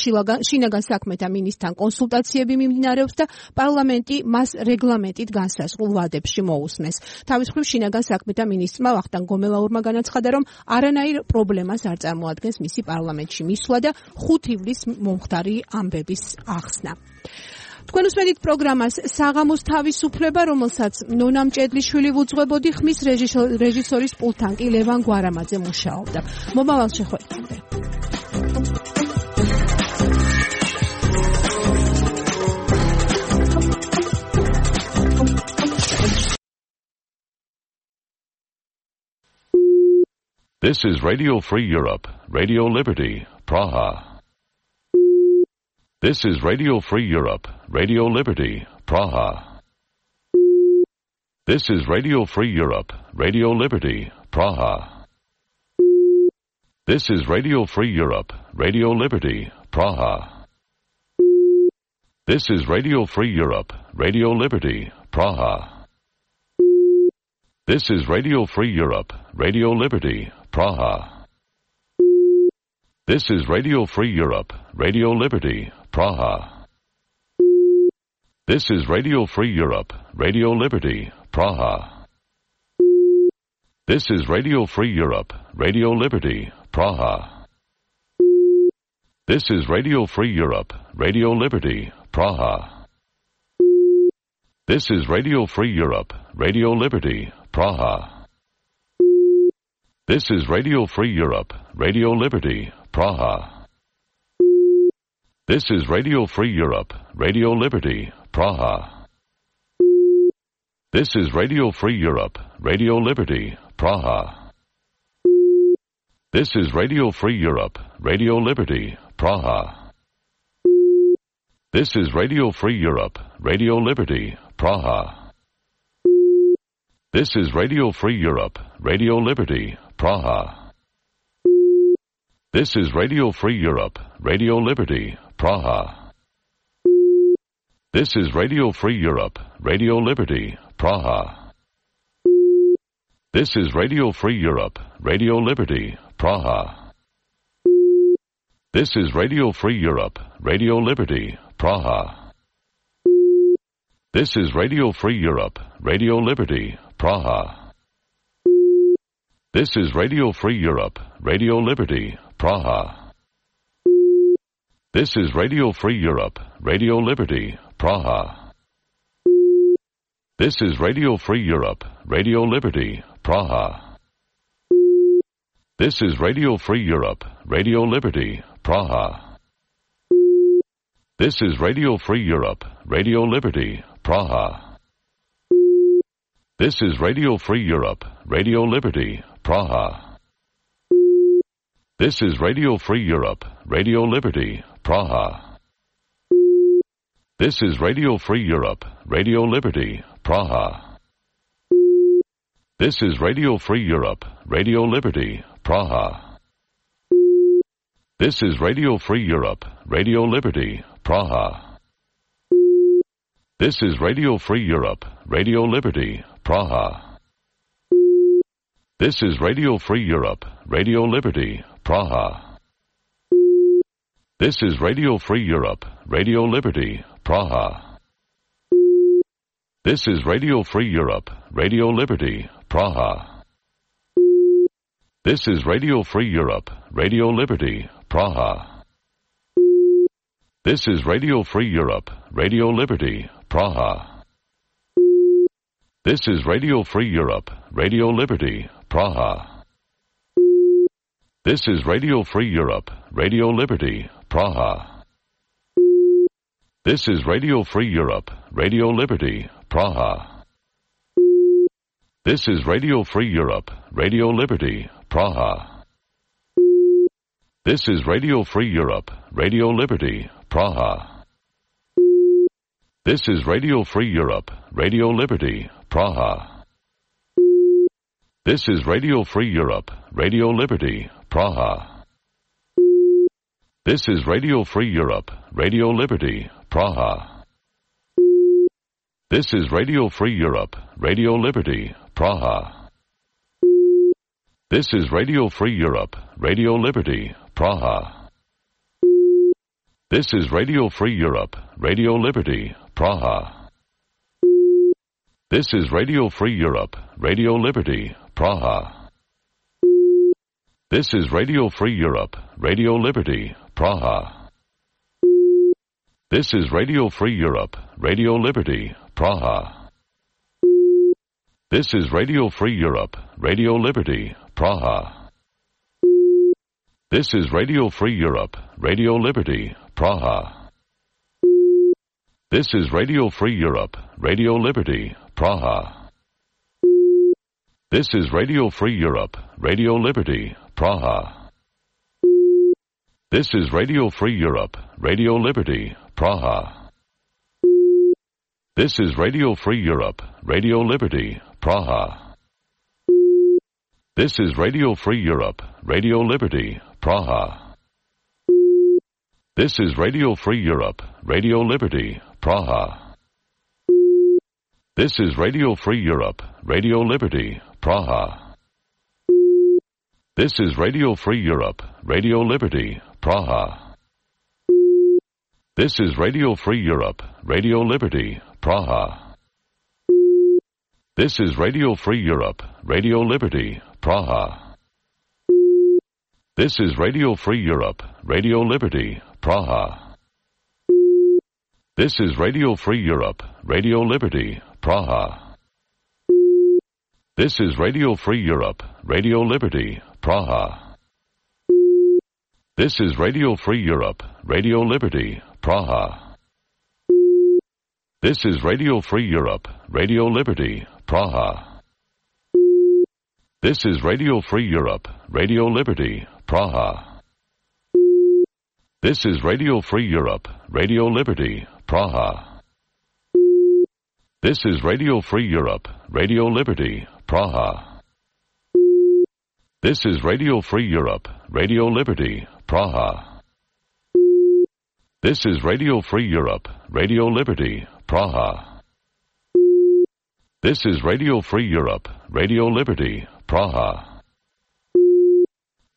შინაგან საქმეთა მინისტრთან კონსულტაციები მიმდინარეობს და პარლამენტი მას რეგლამენტით განსაზღვრულ ვადებში მოусმეს. თავის მხრივ შინაგან საქმეთა მინისტრმა ვახტანგ გომელაურმა განაცხადა, რომ არანაირ პრობლემას არ წარმოადგენს მისი პარლამენტში მისვლა და ხუთ ივლისს მომხდარი ამბების ახსნა. თქვენ უსმენთ პროგრამას საღამოს თავისუფლება, რომელსაც ნონა მჭედლიშვილი ვუძღვებოდი, ხმის რეჟისორის პულტთან კი ლევან გვარამაძე მუშაობდა. მომავალ შეხვედრამდე. This is Radio Free Europe, Radio Liberty, Praha. This is Radio Free Europe, Radio Liberty, Praha. This is Radio Free Europe, Radio Liberty, Praha. This is Radio Free Europe, Radio Liberty, Praha. This is Radio Free Europe, Radio Liberty, Praha. This is Radio Free Europe, Radio Liberty, Praha. This is Radio Free Europe, Radio Liberty, Praha. This is Radio Free Europe, Radio Liberty, Praha. This is Radio Free Europe, Radio Liberty, Praha. This is Radio Free Europe, Radio Liberty, Praha. This is Radio Free Europe, Radio Liberty, Praha. This is Radio Free Europe, Radio Liberty, Praha. This is Radio Free Europe, Radio Liberty, Praha. This is Radio Free Europe, Radio Liberty, Praha. This is Radio Free Europe, Radio Liberty, Praha. This is Radio Free Europe, Radio Liberty, Praha. This is Radio Free Europe, Radio Liberty, Praha. This is Radio Free Europe, Radio Liberty, Praha. This is Radio Free Europe, Radio Liberty, Praha. This is Radio Free Europe, Radio Liberty, Praha. This is Radio Free Europe, Radio Liberty, Praha. This is Radio Free Europe, Radio Liberty, Praha. This is Radio Free Europe, Radio Liberty, Praha. This is Radio Free Europe, Radio Liberty, Praha. This is Radio Free Europe, Radio Liberty, Praha. This is Radio Free Europe, Radio Liberty, Praha. This is Radio Free Europe, Radio Liberty, Praha. This is Radio Free Europe, Radio Liberty, Praha. This is Radio Free Europe, Radio Liberty, Praha. This is Radio Free Europe, Radio Liberty, Praha. This is Radio Free Europe, Radio Liberty, Praha. This is Radio Free Europe, Radio Liberty, Praha. This is Radio Free Europe, Radio Liberty, Praha. This is Radio Free Europe, Radio Liberty, Praha. This is Radio Free Europe, Radio Liberty, Praha. This is Radio Free Europe, Radio Liberty, Praha. This is Radio Free Europe, Radio Liberty, Praha. This is Radio Free Europe, Radio Liberty, Praha. This is Radio Free Europe, Radio Liberty, Praha. This is Radio Free Europe, Radio Liberty, Praha. This is Radio Free Europe, Radio Liberty, Praha. This is Radio Free Europe, Radio Liberty, Praha. This is Radio Free Europe, Radio Liberty, Praha. This is Radio Free Europe, Radio Liberty, Praha. This is Radio Free Europe, Radio Liberty, Praha. This is Radio Free Europe, Radio Liberty, Praha. This is Radio Free Europe, Radio Liberty, Praha. This is Radio Free Europe, Radio Liberty, Praha. This is Radio Free Europe, Radio Liberty, Praha. This is Radio Free Europe, Radio Liberty, Praha. This is Radio Free Europe, Radio Liberty, Praha. This is Radio Free Europe, Radio Liberty, Praha. This is Radio Free Europe, Radio Liberty, Praha. This is Radio Free Europe, Radio Liberty, Praha. This is Radio Free Europe, Radio Liberty, Praha. This is Radio Free Europe, Radio Liberty, Praha. This is Radio Free Europe, Radio Liberty, Praha. This is Radio Free Europe, Radio Liberty, Praha. This is Radio Free Europe, Radio Liberty, Praha. This is Radio Free Europe, Radio Liberty, Praha. This is Radio Free Europe, Radio Liberty, Praha. This is Radio Free Europe, Radio Liberty, Praha. This is Radio Free Europe, Radio Liberty, Praha. This is Radio Free Europe, Radio Liberty, Praha. This is Radio Free Europe, Radio Liberty, Praha. This is Radio Free Europe, Radio Liberty, Praha. This is Radio Free Europe, Radio Liberty, Praha. This is Radio Free Europe, Radio Liberty, Praha. This is Radio Free Europe, Radio Liberty, Praha. This is Radio Free Europe, Radio Liberty, Praha. This is Radio Free Europe, Radio Liberty, Praha. This is Radio Free Europe, Radio Liberty, Praha. This is Radio Free Europe, Radio Liberty, Praha. This is Radio Free Europe, Radio Liberty, Praha. This is Radio Free Europe, Radio Liberty, Praha.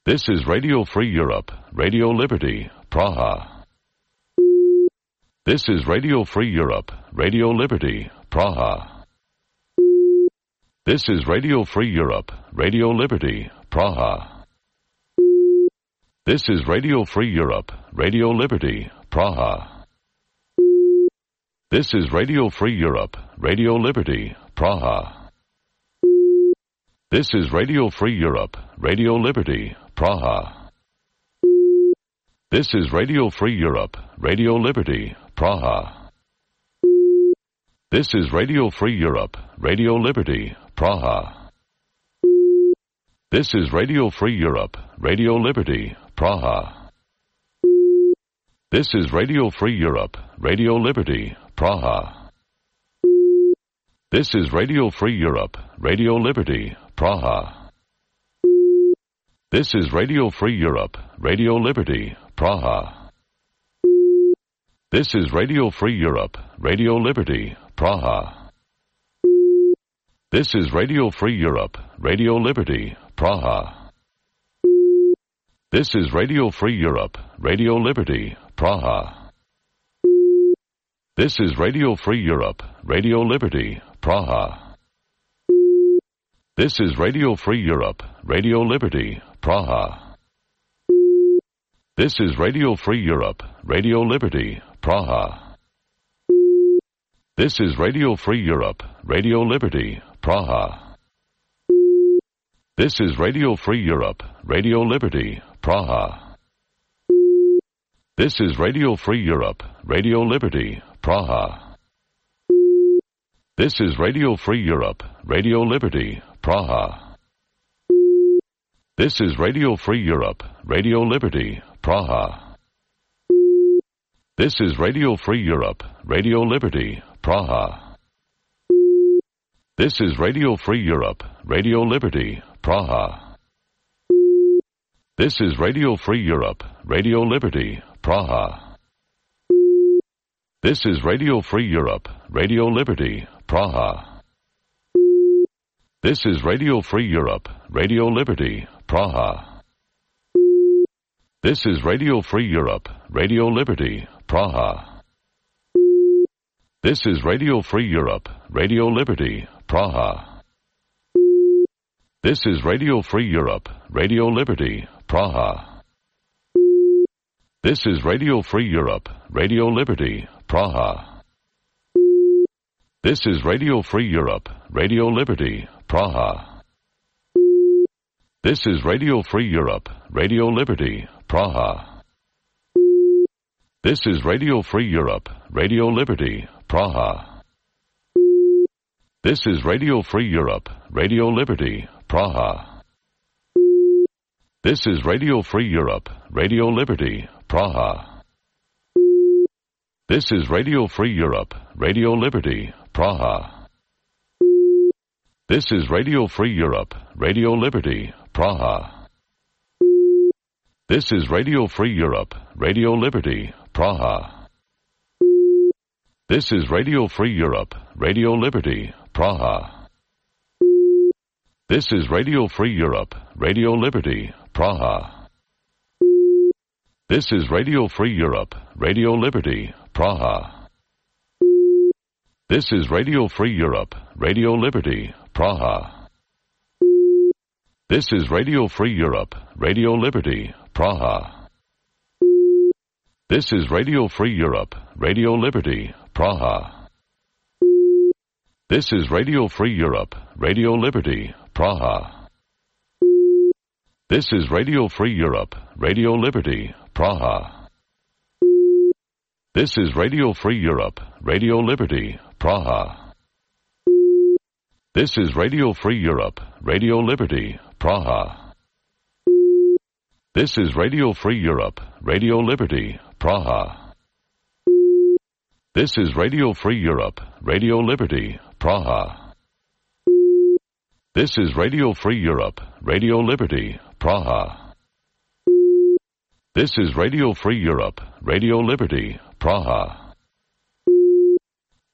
This is Radio Free Europe, Radio Liberty, Praha. This is Radio Free Europe, Radio Liberty, Praha. This is Radio Free Europe, Radio Liberty, Praha. This is Radio Free Europe, Radio Liberty, Praha. This is Radio Free Europe, Radio Liberty, Praha. This is Radio Free Europe, Radio Liberty, Praha. This is Radio Free Europe, Radio Liberty, Praha. This is Radio Free Europe, Radio Liberty, Praha. This is Radio Free Europe, Radio Liberty, Praha. This is Radio Free Europe, Radio Liberty, Praha. This is Radio Free Europe, Radio Liberty, Praha. This is Radio Free Europe, Radio Liberty, Praha. This is Radio Free Europe, Radio Liberty, Praha. This is Radio Free Europe, Radio Liberty, Praha. This is Radio Free Europe, Radio Liberty, Praha. This is Radio Free Europe, Radio Liberty, Praha. This is Radio Free Europe, Radio Liberty, Praha. This is Radio Free Europe, Radio Liberty, Praha. This is Radio Free Europe, Radio Liberty, Praha. This is Radio Free Europe, Radio Liberty, Praha. This is Radio Free Europe, Radio Liberty, Praha. This is Radio Free Europe, Radio Liberty, Praha. This is Radio Free Europe, Radio Liberty, Praha. This is Radio Free Europe, Radio Liberty, Praha. This is Radio Free Europe, Radio Liberty, Praha. This is Radio Free Europe, Radio Liberty, Praha. This is Radio Free Europe, Radio Liberty, Praha. This is Radio Free Europe, Radio Liberty, Praha. This is Radio Free Europe, Radio Liberty, Praha. This is Radio Free Europe, Radio Liberty, Praha. This is Radio Free Europe, Radio Liberty, Praha. This is Radio Free Europe, Radio Liberty, Praha. This is Radio Free Europe, Radio Liberty, Praha. This is Radio Free Europe, Radio Liberty, Praha. This is Radio Free Europe, Radio Liberty, Praha. This is Radio Free Europe, Radio Liberty, Praha. This is Radio Free Europe, Radio Liberty, Praha. This is Radio Free Europe, Radio Liberty, Praha. This is Radio Free Europe, Radio Liberty, Praha. This is Radio Free Europe, Radio Liberty, Praha. This is Radio Free Europe, Radio Liberty, Praha. This is Radio Free Europe, Radio Liberty, Praha. This is Radio Free Europe, Radio Liberty, Praha. This is Radio Free Europe, Radio Liberty, Praha. This is Radio Free Europe, Radio Liberty, Praha. This is Radio Free Europe, Radio Liberty, Praha. This is Radio Free Europe, Radio Liberty, Praha. This is Radio Free Europe, Radio Liberty, Praha. This is Radio Free Europe, Radio Liberty, Praha. This is Radio Free Europe, Radio Liberty, Praha. This is Radio Free Europe, Radio Liberty, Praha. This is Radio Free Europe, Radio Liberty, Praha. This is Radio Free Europe, Radio Liberty, Praha. This is Radio Free Europe, Radio Liberty, Praha.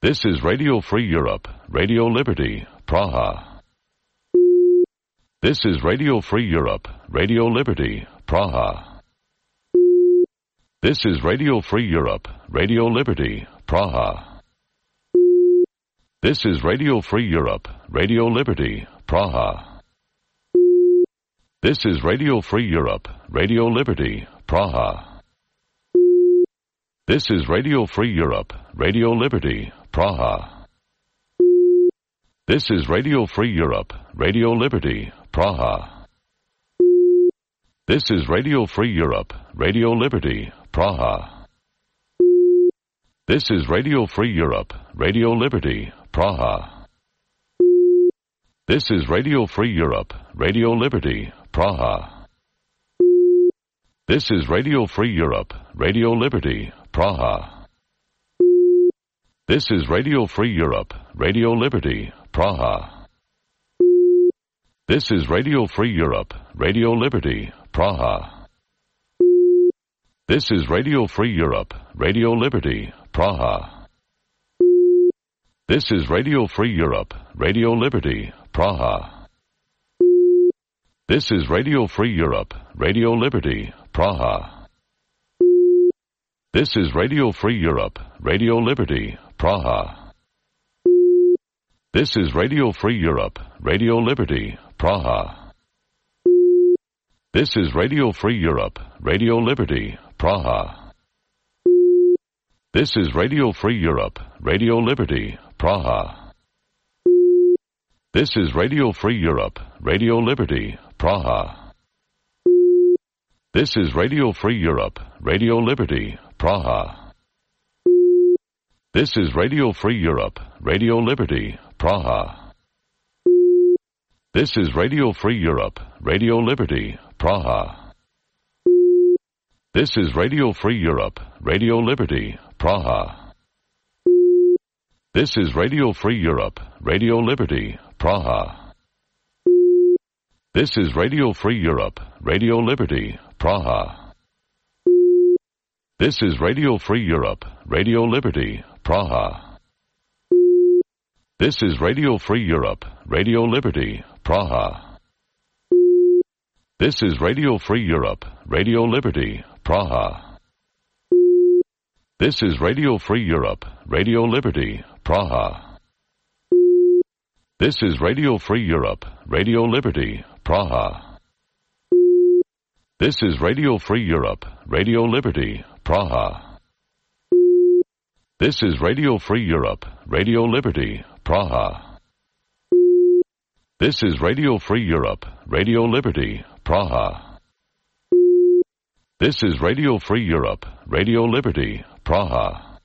This is Radio Free Europe, Radio Liberty, Praha. This is Radio Free Europe, Radio Liberty, Praha. This is Radio Free Europe, Radio Liberty, Praha. This is Radio Free Europe, Radio Liberty, Praha. This is Radio Free Europe, Radio Liberty, Praha. This is Radio Free Europe, Radio Liberty, Praha. This is Radio Free Europe, Radio Liberty, Praha. This is Radio Free Europe, Radio Liberty, Praha. This is Radio Free Europe, Radio Liberty, Praha. This is Radio Free Europe, Radio Liberty, Praha. This is Radio Free Europe, Radio Liberty, Praha. This is Radio Free Europe, Radio Liberty, Praha. This is Radio Free Europe, Radio Liberty, Praha. This is Radio Free Europe, Radio Liberty, Praha. This is Radio Free Europe, Radio Liberty, Praha. This is Radio Free Europe, Radio Liberty, Praha. This is Radio Free Europe, Radio Liberty, Praha. This is Radio Free Europe, Radio Liberty, Praha. This is Radio Free Europe, Radio Liberty, Praha. This is Radio Free Europe, Radio Liberty, Praha. This is Radio Free Europe, Radio Liberty, Praha. This is Radio Free Europe, Radio Liberty, Praha. This is Radio Free Europe, Radio Liberty, Praha. This is Radio Free Europe, Radio Liberty, Praha. This is Radio Free Europe, Radio Liberty, Praha. This is Radio Free Europe, Radio Liberty, Praha. This is Radio Free Europe, Radio Liberty, Praha. This is Radio Free Europe, Radio Liberty, Praha. This is Radio Free Europe, Radio Liberty, Praha. This is Radio Free Europe, Radio Liberty, Praha. This is Radio Free Europe, Radio Liberty, Praha. This is Radio Free Europe, Radio Liberty, Praha. This is Radio Free Europe, Radio Liberty, Praha. This is Radio Free Europe, Radio Liberty, Praha. This is Radio Free Europe, Radio Liberty, Praha. This is Radio Free Europe, Radio Liberty, Praha.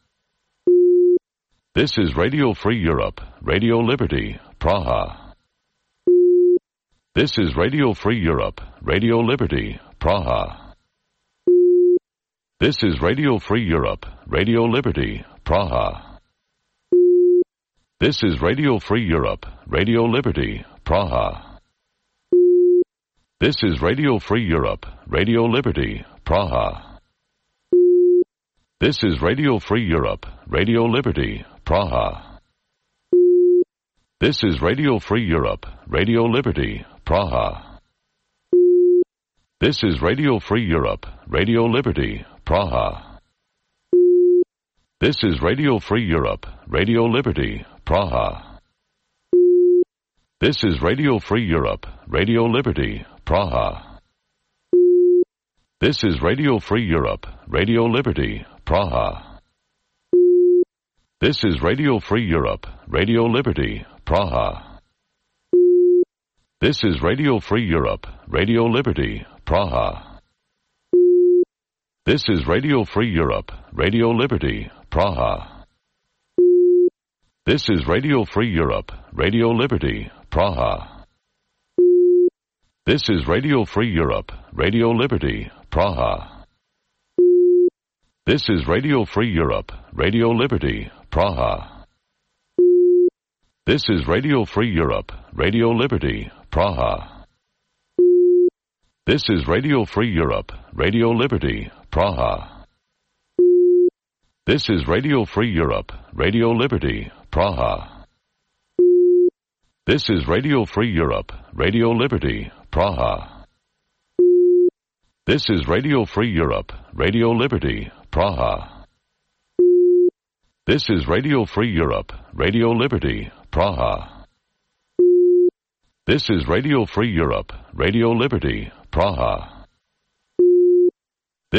This is Radio Free Europe, Radio Liberty, Praha. This is Radio Free Europe, Radio Liberty, Praha. This is Radio Free Europe, Radio Liberty, Praha. This is Radio Free Europe, Radio Liberty, Praha. This is Radio Free Europe, Radio Liberty, Praha. This is Radio Free Europe, Radio Liberty, Praha. This is Radio Free Europe, Radio Liberty, Praha. This is Radio Free Europe, Radio Liberty, Praha. This is Radio Free Europe, Radio Liberty, Praha. This is Radio Free Europe, Radio Liberty, Praha. This is Radio Free Europe, Radio Liberty, Praha. This is Radio Free Europe, Radio Liberty, Praha. This is Radio Free Europe, Radio Liberty, Praha. This is Radio Free Europe, Radio Liberty, Praha. This is Radio Free Europe, Radio Liberty, Praha. This is Radio Free Europe, Radio Liberty, Praha. This is Radio Free Europe, Radio Liberty, Praha. This is Radio Free Europe, Radio Liberty, Praha. This is Radio Free Europe, Radio Liberty, Praha. This is Radio Free Europe, Radio Liberty, Praha. This is Radio Free Europe, Radio Liberty, Praha. This is Radio Free Europe, Radio Liberty, Praha. This is Radio Free Europe, Radio Liberty, Praha. This is Radio Free Europe, Radio Liberty, Praha.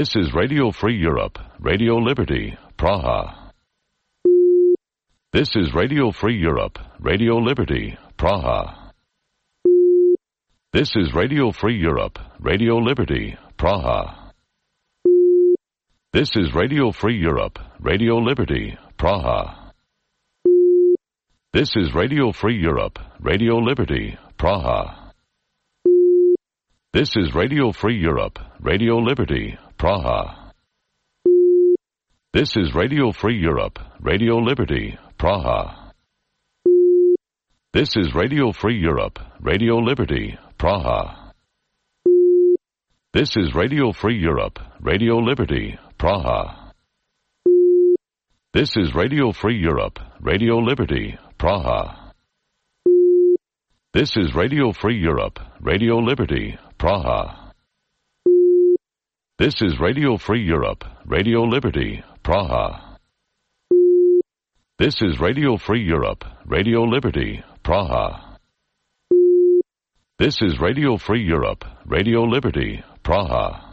This is Radio Free Europe, Radio Liberty, Praha. This is Radio Free Europe, Radio Liberty, Praha. This is Radio Free Europe, Radio Liberty, Praha. This is Radio Free Europe, Radio Liberty, Praha. This is Radio Free Europe, Radio Liberty, Praha. This is Radio Free Europe, Radio Liberty, Praha. This is Radio Free Europe, Radio Liberty, Praha. This is Radio Free Europe, Radio Liberty, Praha. This is Radio Free Europe, Radio Liberty, Praha. This is Radio Free Europe, Radio Liberty, Praha. This is Radio Free Europe, Radio Liberty, Praha. This is Radio Free Europe, Radio Liberty, Praha. This is Radio Free Europe, Radio Liberty, Praha. This is Radio Free Europe, Radio Liberty, Praha.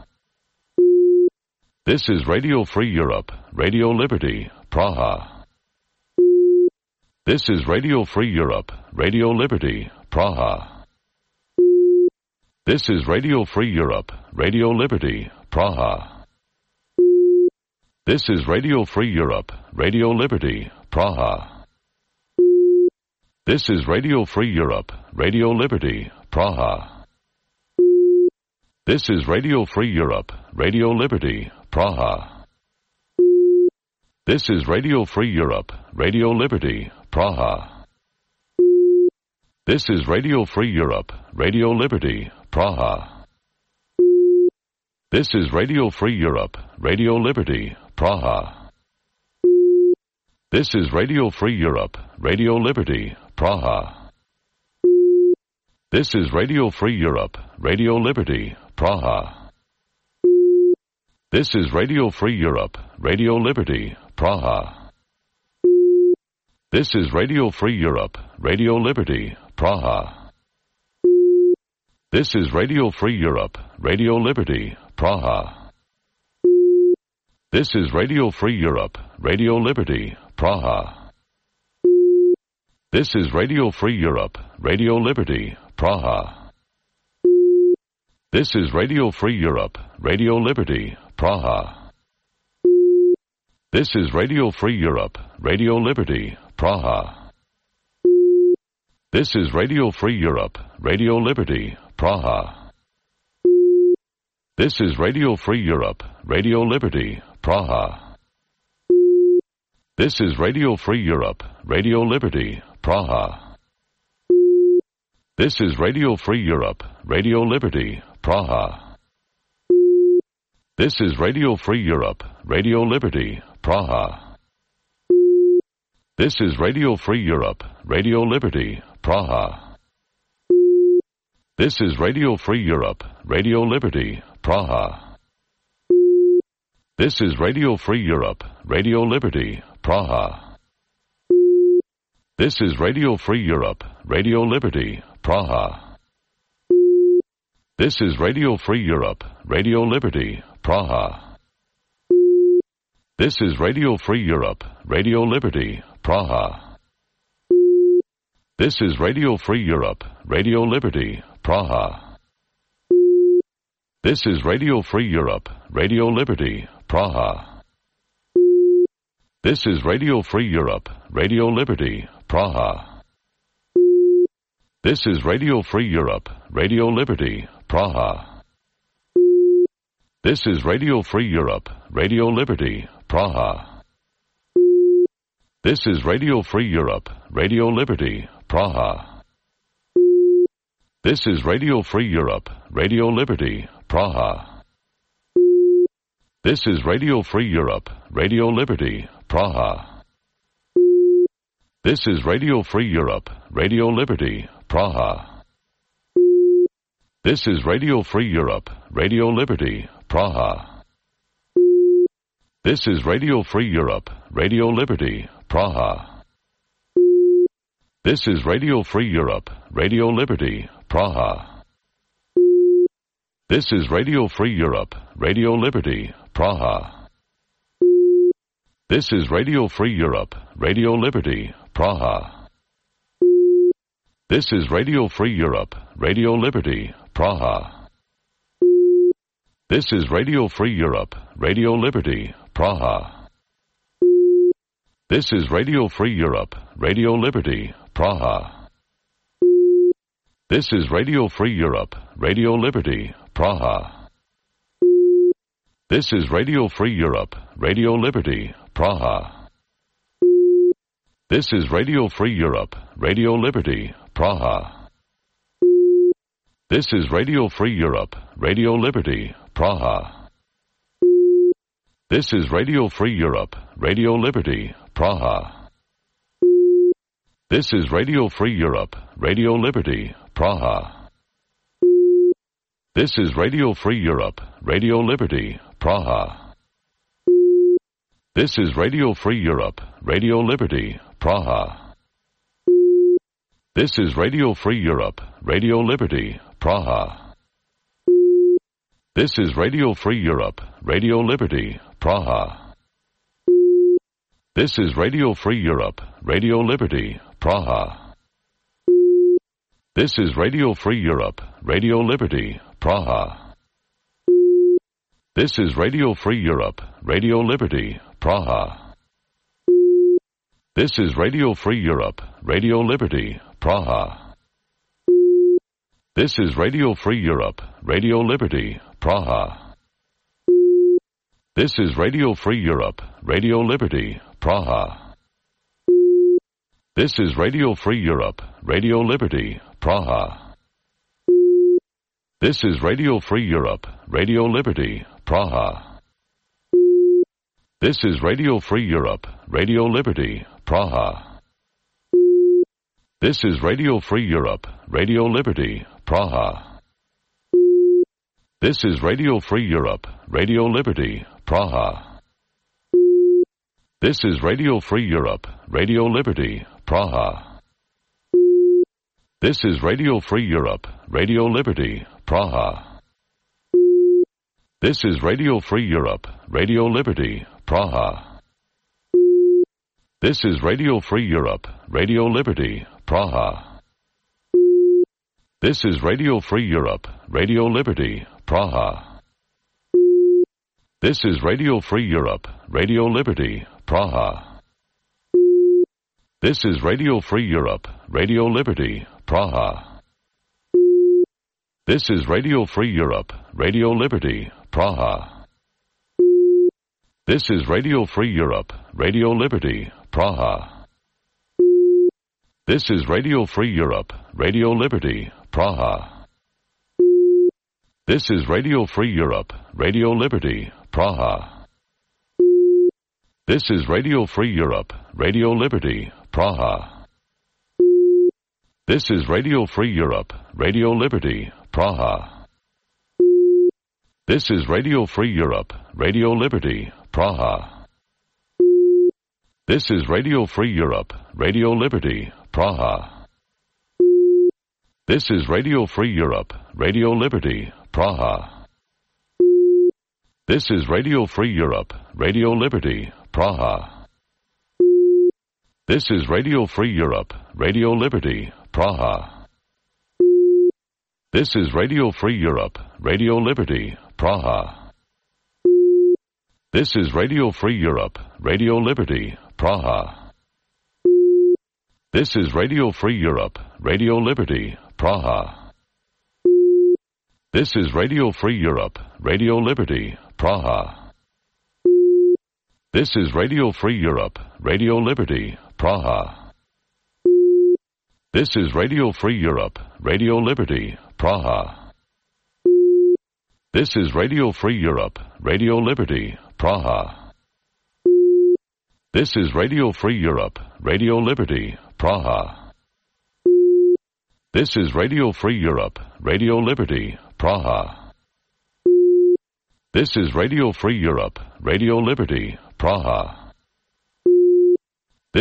This is Radio Free Europe, Radio Liberty, Praha. This is Radio Free Europe, Radio Liberty, Praha. This is Radio Free Europe, Radio Liberty, Praha. This is Radio Free Europe, Radio Liberty, Praha. This is Radio Free Europe, Radio Liberty, Praha. This is Radio Free Europe, Radio Liberty, Praha. This is Radio Free Europe, Radio Liberty, Praha. This is Radio Free Europe, Radio Liberty, Praha. This is Radio Free Europe, Radio Liberty, Praha. This is Radio Free Europe, Radio Liberty, Praha. This is Radio Free Europe, Radio Liberty, Praha. This is Radio Free Europe, Radio Liberty, Praha. This is Radio Free Europe, Radio Liberty, Praha. This is Radio Free Europe, Radio Liberty, Praha. This is Radio Free Europe, Radio Liberty, Praha. This is Radio Free Europe, Radio Liberty, Praha. This is Radio Free Europe, Radio Liberty, Praha. This is Radio Free Europe, Radio Liberty, Praha. This is Radio Free Europe, Radio Liberty, Praha. This is Radio Free Europe, Radio Liberty, Praha. This is Radio Free Europe, Radio Liberty, Praha. This is Radio Free Europe, Radio Liberty, Praha. This is Radio Free Europe, Radio Liberty, Praha. This is Radio Free Europe, Radio Liberty, Praha. This is Radio Free Europe, Radio Liberty, Praha. This is Radio Free Europe, Radio Liberty, Praha. This is Radio Free Europe, Radio Liberty, Praha. This is Radio Free Europe, Radio Liberty, Praha. This is Radio Free Europe, Radio Liberty, Praha. This is Radio Free Europe, Radio Liberty, Praha. This is Radio Free Europe, Radio Liberty, Praha. This is Radio Free Europe, Radio Liberty, Praha. This is Radio Free Europe, Radio Liberty, Praha. This is Radio Free Europe, Radio Liberty, Praha. This is Radio Free Europe, Radio Liberty, Praha. This is Radio Free Europe, Radio Liberty, Praha. This is Radio Free Europe, Radio Liberty, Praha. This is Radio Free Europe, Radio Liberty, Praha. This is Radio Free Europe, Radio Liberty, Praha. This is Radio Free Europe, Radio Liberty, Praha. This is Radio Free Europe, Radio Liberty, Praha. This is Radio Free Europe, Radio Liberty, Praha. This is Radio Free Europe, Radio Liberty, Praha. This is Radio Free Europe, Radio Liberty, Praha. This is Radio Free Europe, Radio Liberty, Praha. This is Radio Free Europe, Radio Liberty, Praha. This is Radio Free Europe, Radio Liberty, Praha. This is Radio Free Europe, Radio Liberty, Praha. This is Radio Free Europe, Radio Liberty, Praha. This is Radio Free Europe, Radio Liberty, Praha. This is Radio Free Europe, Radio Liberty, Praha. This is Radio Free Europe, Radio Liberty, Praha. This is Radio Free Europe, Radio Liberty, Praha. This is Radio Free Europe, Radio Liberty, Praha. This is Radio Free Europe, Radio Liberty, Praha. This is Radio Free Europe, Radio Liberty, Praha. This is Radio Free Europe, Radio Liberty, Praha. This is Radio Free Europe, Radio Liberty, Praha. This is Radio Free Europe, Radio Liberty, Praha. This is Radio Free Europe, Radio Liberty, Praha. This is Radio Free Europe, Radio Liberty, Praha. This is Radio Free Europe, Radio Liberty, Praha. This is Radio Free Europe, Radio Liberty, Praha. This is Radio Free Europe, Radio Liberty, Praha. This is Radio Free Europe, Radio Liberty, Praha. This is Radio Free Europe, Radio Liberty, Praha. This is Radio Free Europe, Radio Liberty, Praha. This is Radio Free Europe, Radio Liberty, Praha. This is Radio Free Europe, Radio Liberty, Praha. This is Radio Free Europe, Radio Liberty, Praha. This is Radio Free Europe, Radio Liberty, Praha. This is Radio Free Europe, Radio Liberty, Praha. This is Radio Free Europe, Radio Liberty, Praha. This is Radio Free Europe, Radio Liberty, Praha. This is Radio Free Europe, Radio Liberty, Praha. This is Radio Free Europe, Radio Liberty, Praha. This is Radio Free Europe, Radio Liberty, Praha. This is Radio Free Europe, Radio Liberty, Praha. This is Radio Free Europe, Radio Liberty, Praha. This is Radio Free Europe, Radio Liberty, Praha. This is Radio Free Europe, Radio Liberty, Praha. This is Radio Free Europe, Radio Liberty, Praha. This is Radio Free Europe, Radio Liberty, Praha. This is Radio Free Europe, Radio Liberty, Praha. This is Radio Free Europe, Radio Liberty, Praha. This is Radio Free Europe, Radio Liberty, Praha. This is Radio Free Europe, Radio Liberty, Praha. This is Radio Free Europe, Radio Liberty, Praha. This is Radio Free Europe, Radio Liberty, Praha. This is Radio Free Europe, Radio Liberty, Praha. This is Radio Free Europe, Radio Liberty, Praha. This is Radio Free Europe, Radio Liberty, Praha. This is Radio Free Europe, Radio Liberty, Praha. This is Radio Free Europe, Radio Liberty, Praha. This is Radio Free Europe, Radio Liberty, Praha. This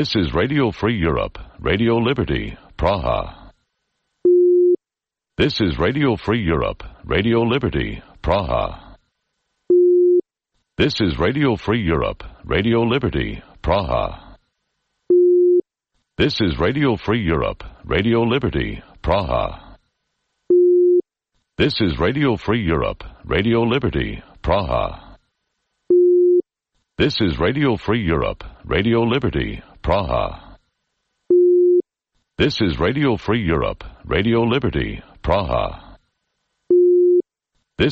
is Radio Free Europe, Radio Liberty, Praha. This is Radio Free Europe, Radio Liberty, Praha. This is Radio Free Europe, Radio Liberty, Praha. This is Radio Free Europe, Radio Liberty, Praha. This is Radio Free Europe, Radio Liberty, Praha. This is Radio Free Europe, Radio Liberty, Praha. This is Radio Free Europe, Radio Liberty, Praha.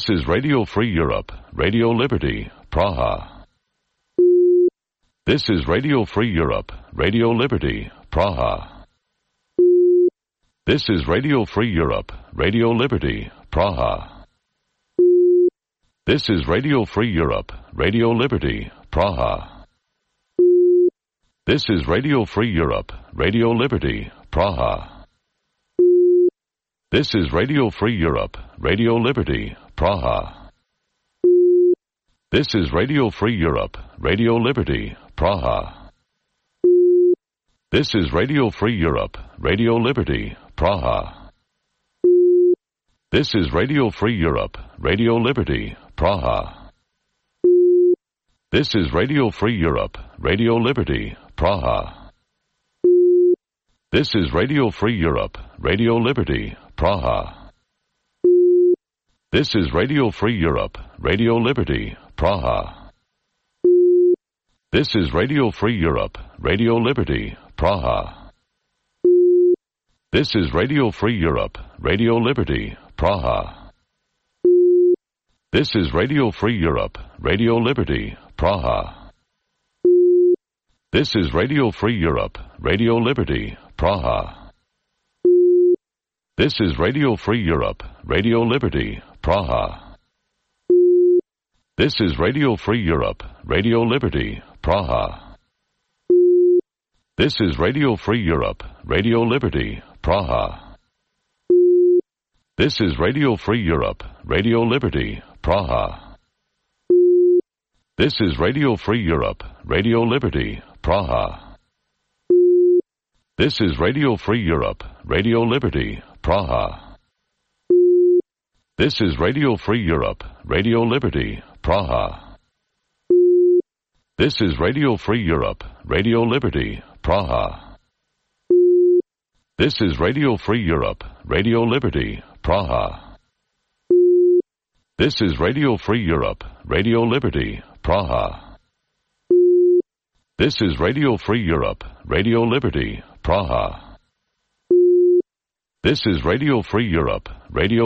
This is Radio Free Europe, Radio Liberty, Praha. This is Radio Free Europe, Radio Liberty, Praha. This is Radio Free Europe, Radio Liberty, Praha. This is Radio Free Europe, Radio Liberty, Praha. This is Radio Free Europe, Radio Liberty, Praha. This is Radio Free Europe, Radio Liberty, Praha. This is Radio Free Europe, Radio Liberty, Praha. This is Radio Free Europe, Radio Liberty, Praha. This is Radio Free Europe, Radio Liberty, Praha. This is Radio Free Europe, Radio Liberty, Praha. This is Radio Free Europe, Radio Liberty, Praha. This is Radio Free Europe, Radio Liberty, Praha. This is Radio Free Europe, Radio Liberty, Praha. This is Radio Free Europe, Radio Liberty, Praha. This is Radio Free Europe, Radio Liberty, Praha. This is Radio Free Europe, Radio Liberty, Praha. This is Radio Free Europe, Radio Liberty, Praha. This is Radio Free Europe, Radio Liberty, Praha. This is Radio Free Europe, Radio Liberty, Praha. This is Radio Free Europe, Radio Liberty, Praha. This is Radio Free Europe, Radio Liberty, Praha. This is Radio Free Europe, Radio Liberty, Praha. This is Radio Free Europe, Radio Liberty, Praha. This is Radio Free Europe, Radio Liberty, Praha. This is Radio Free Europe, Radio Liberty, Praha. This is Radio Free Europe, Radio Liberty, Praha. This is Radio Free Europe, Radio Liberty, Praha. This is Radio Free Europe, Radio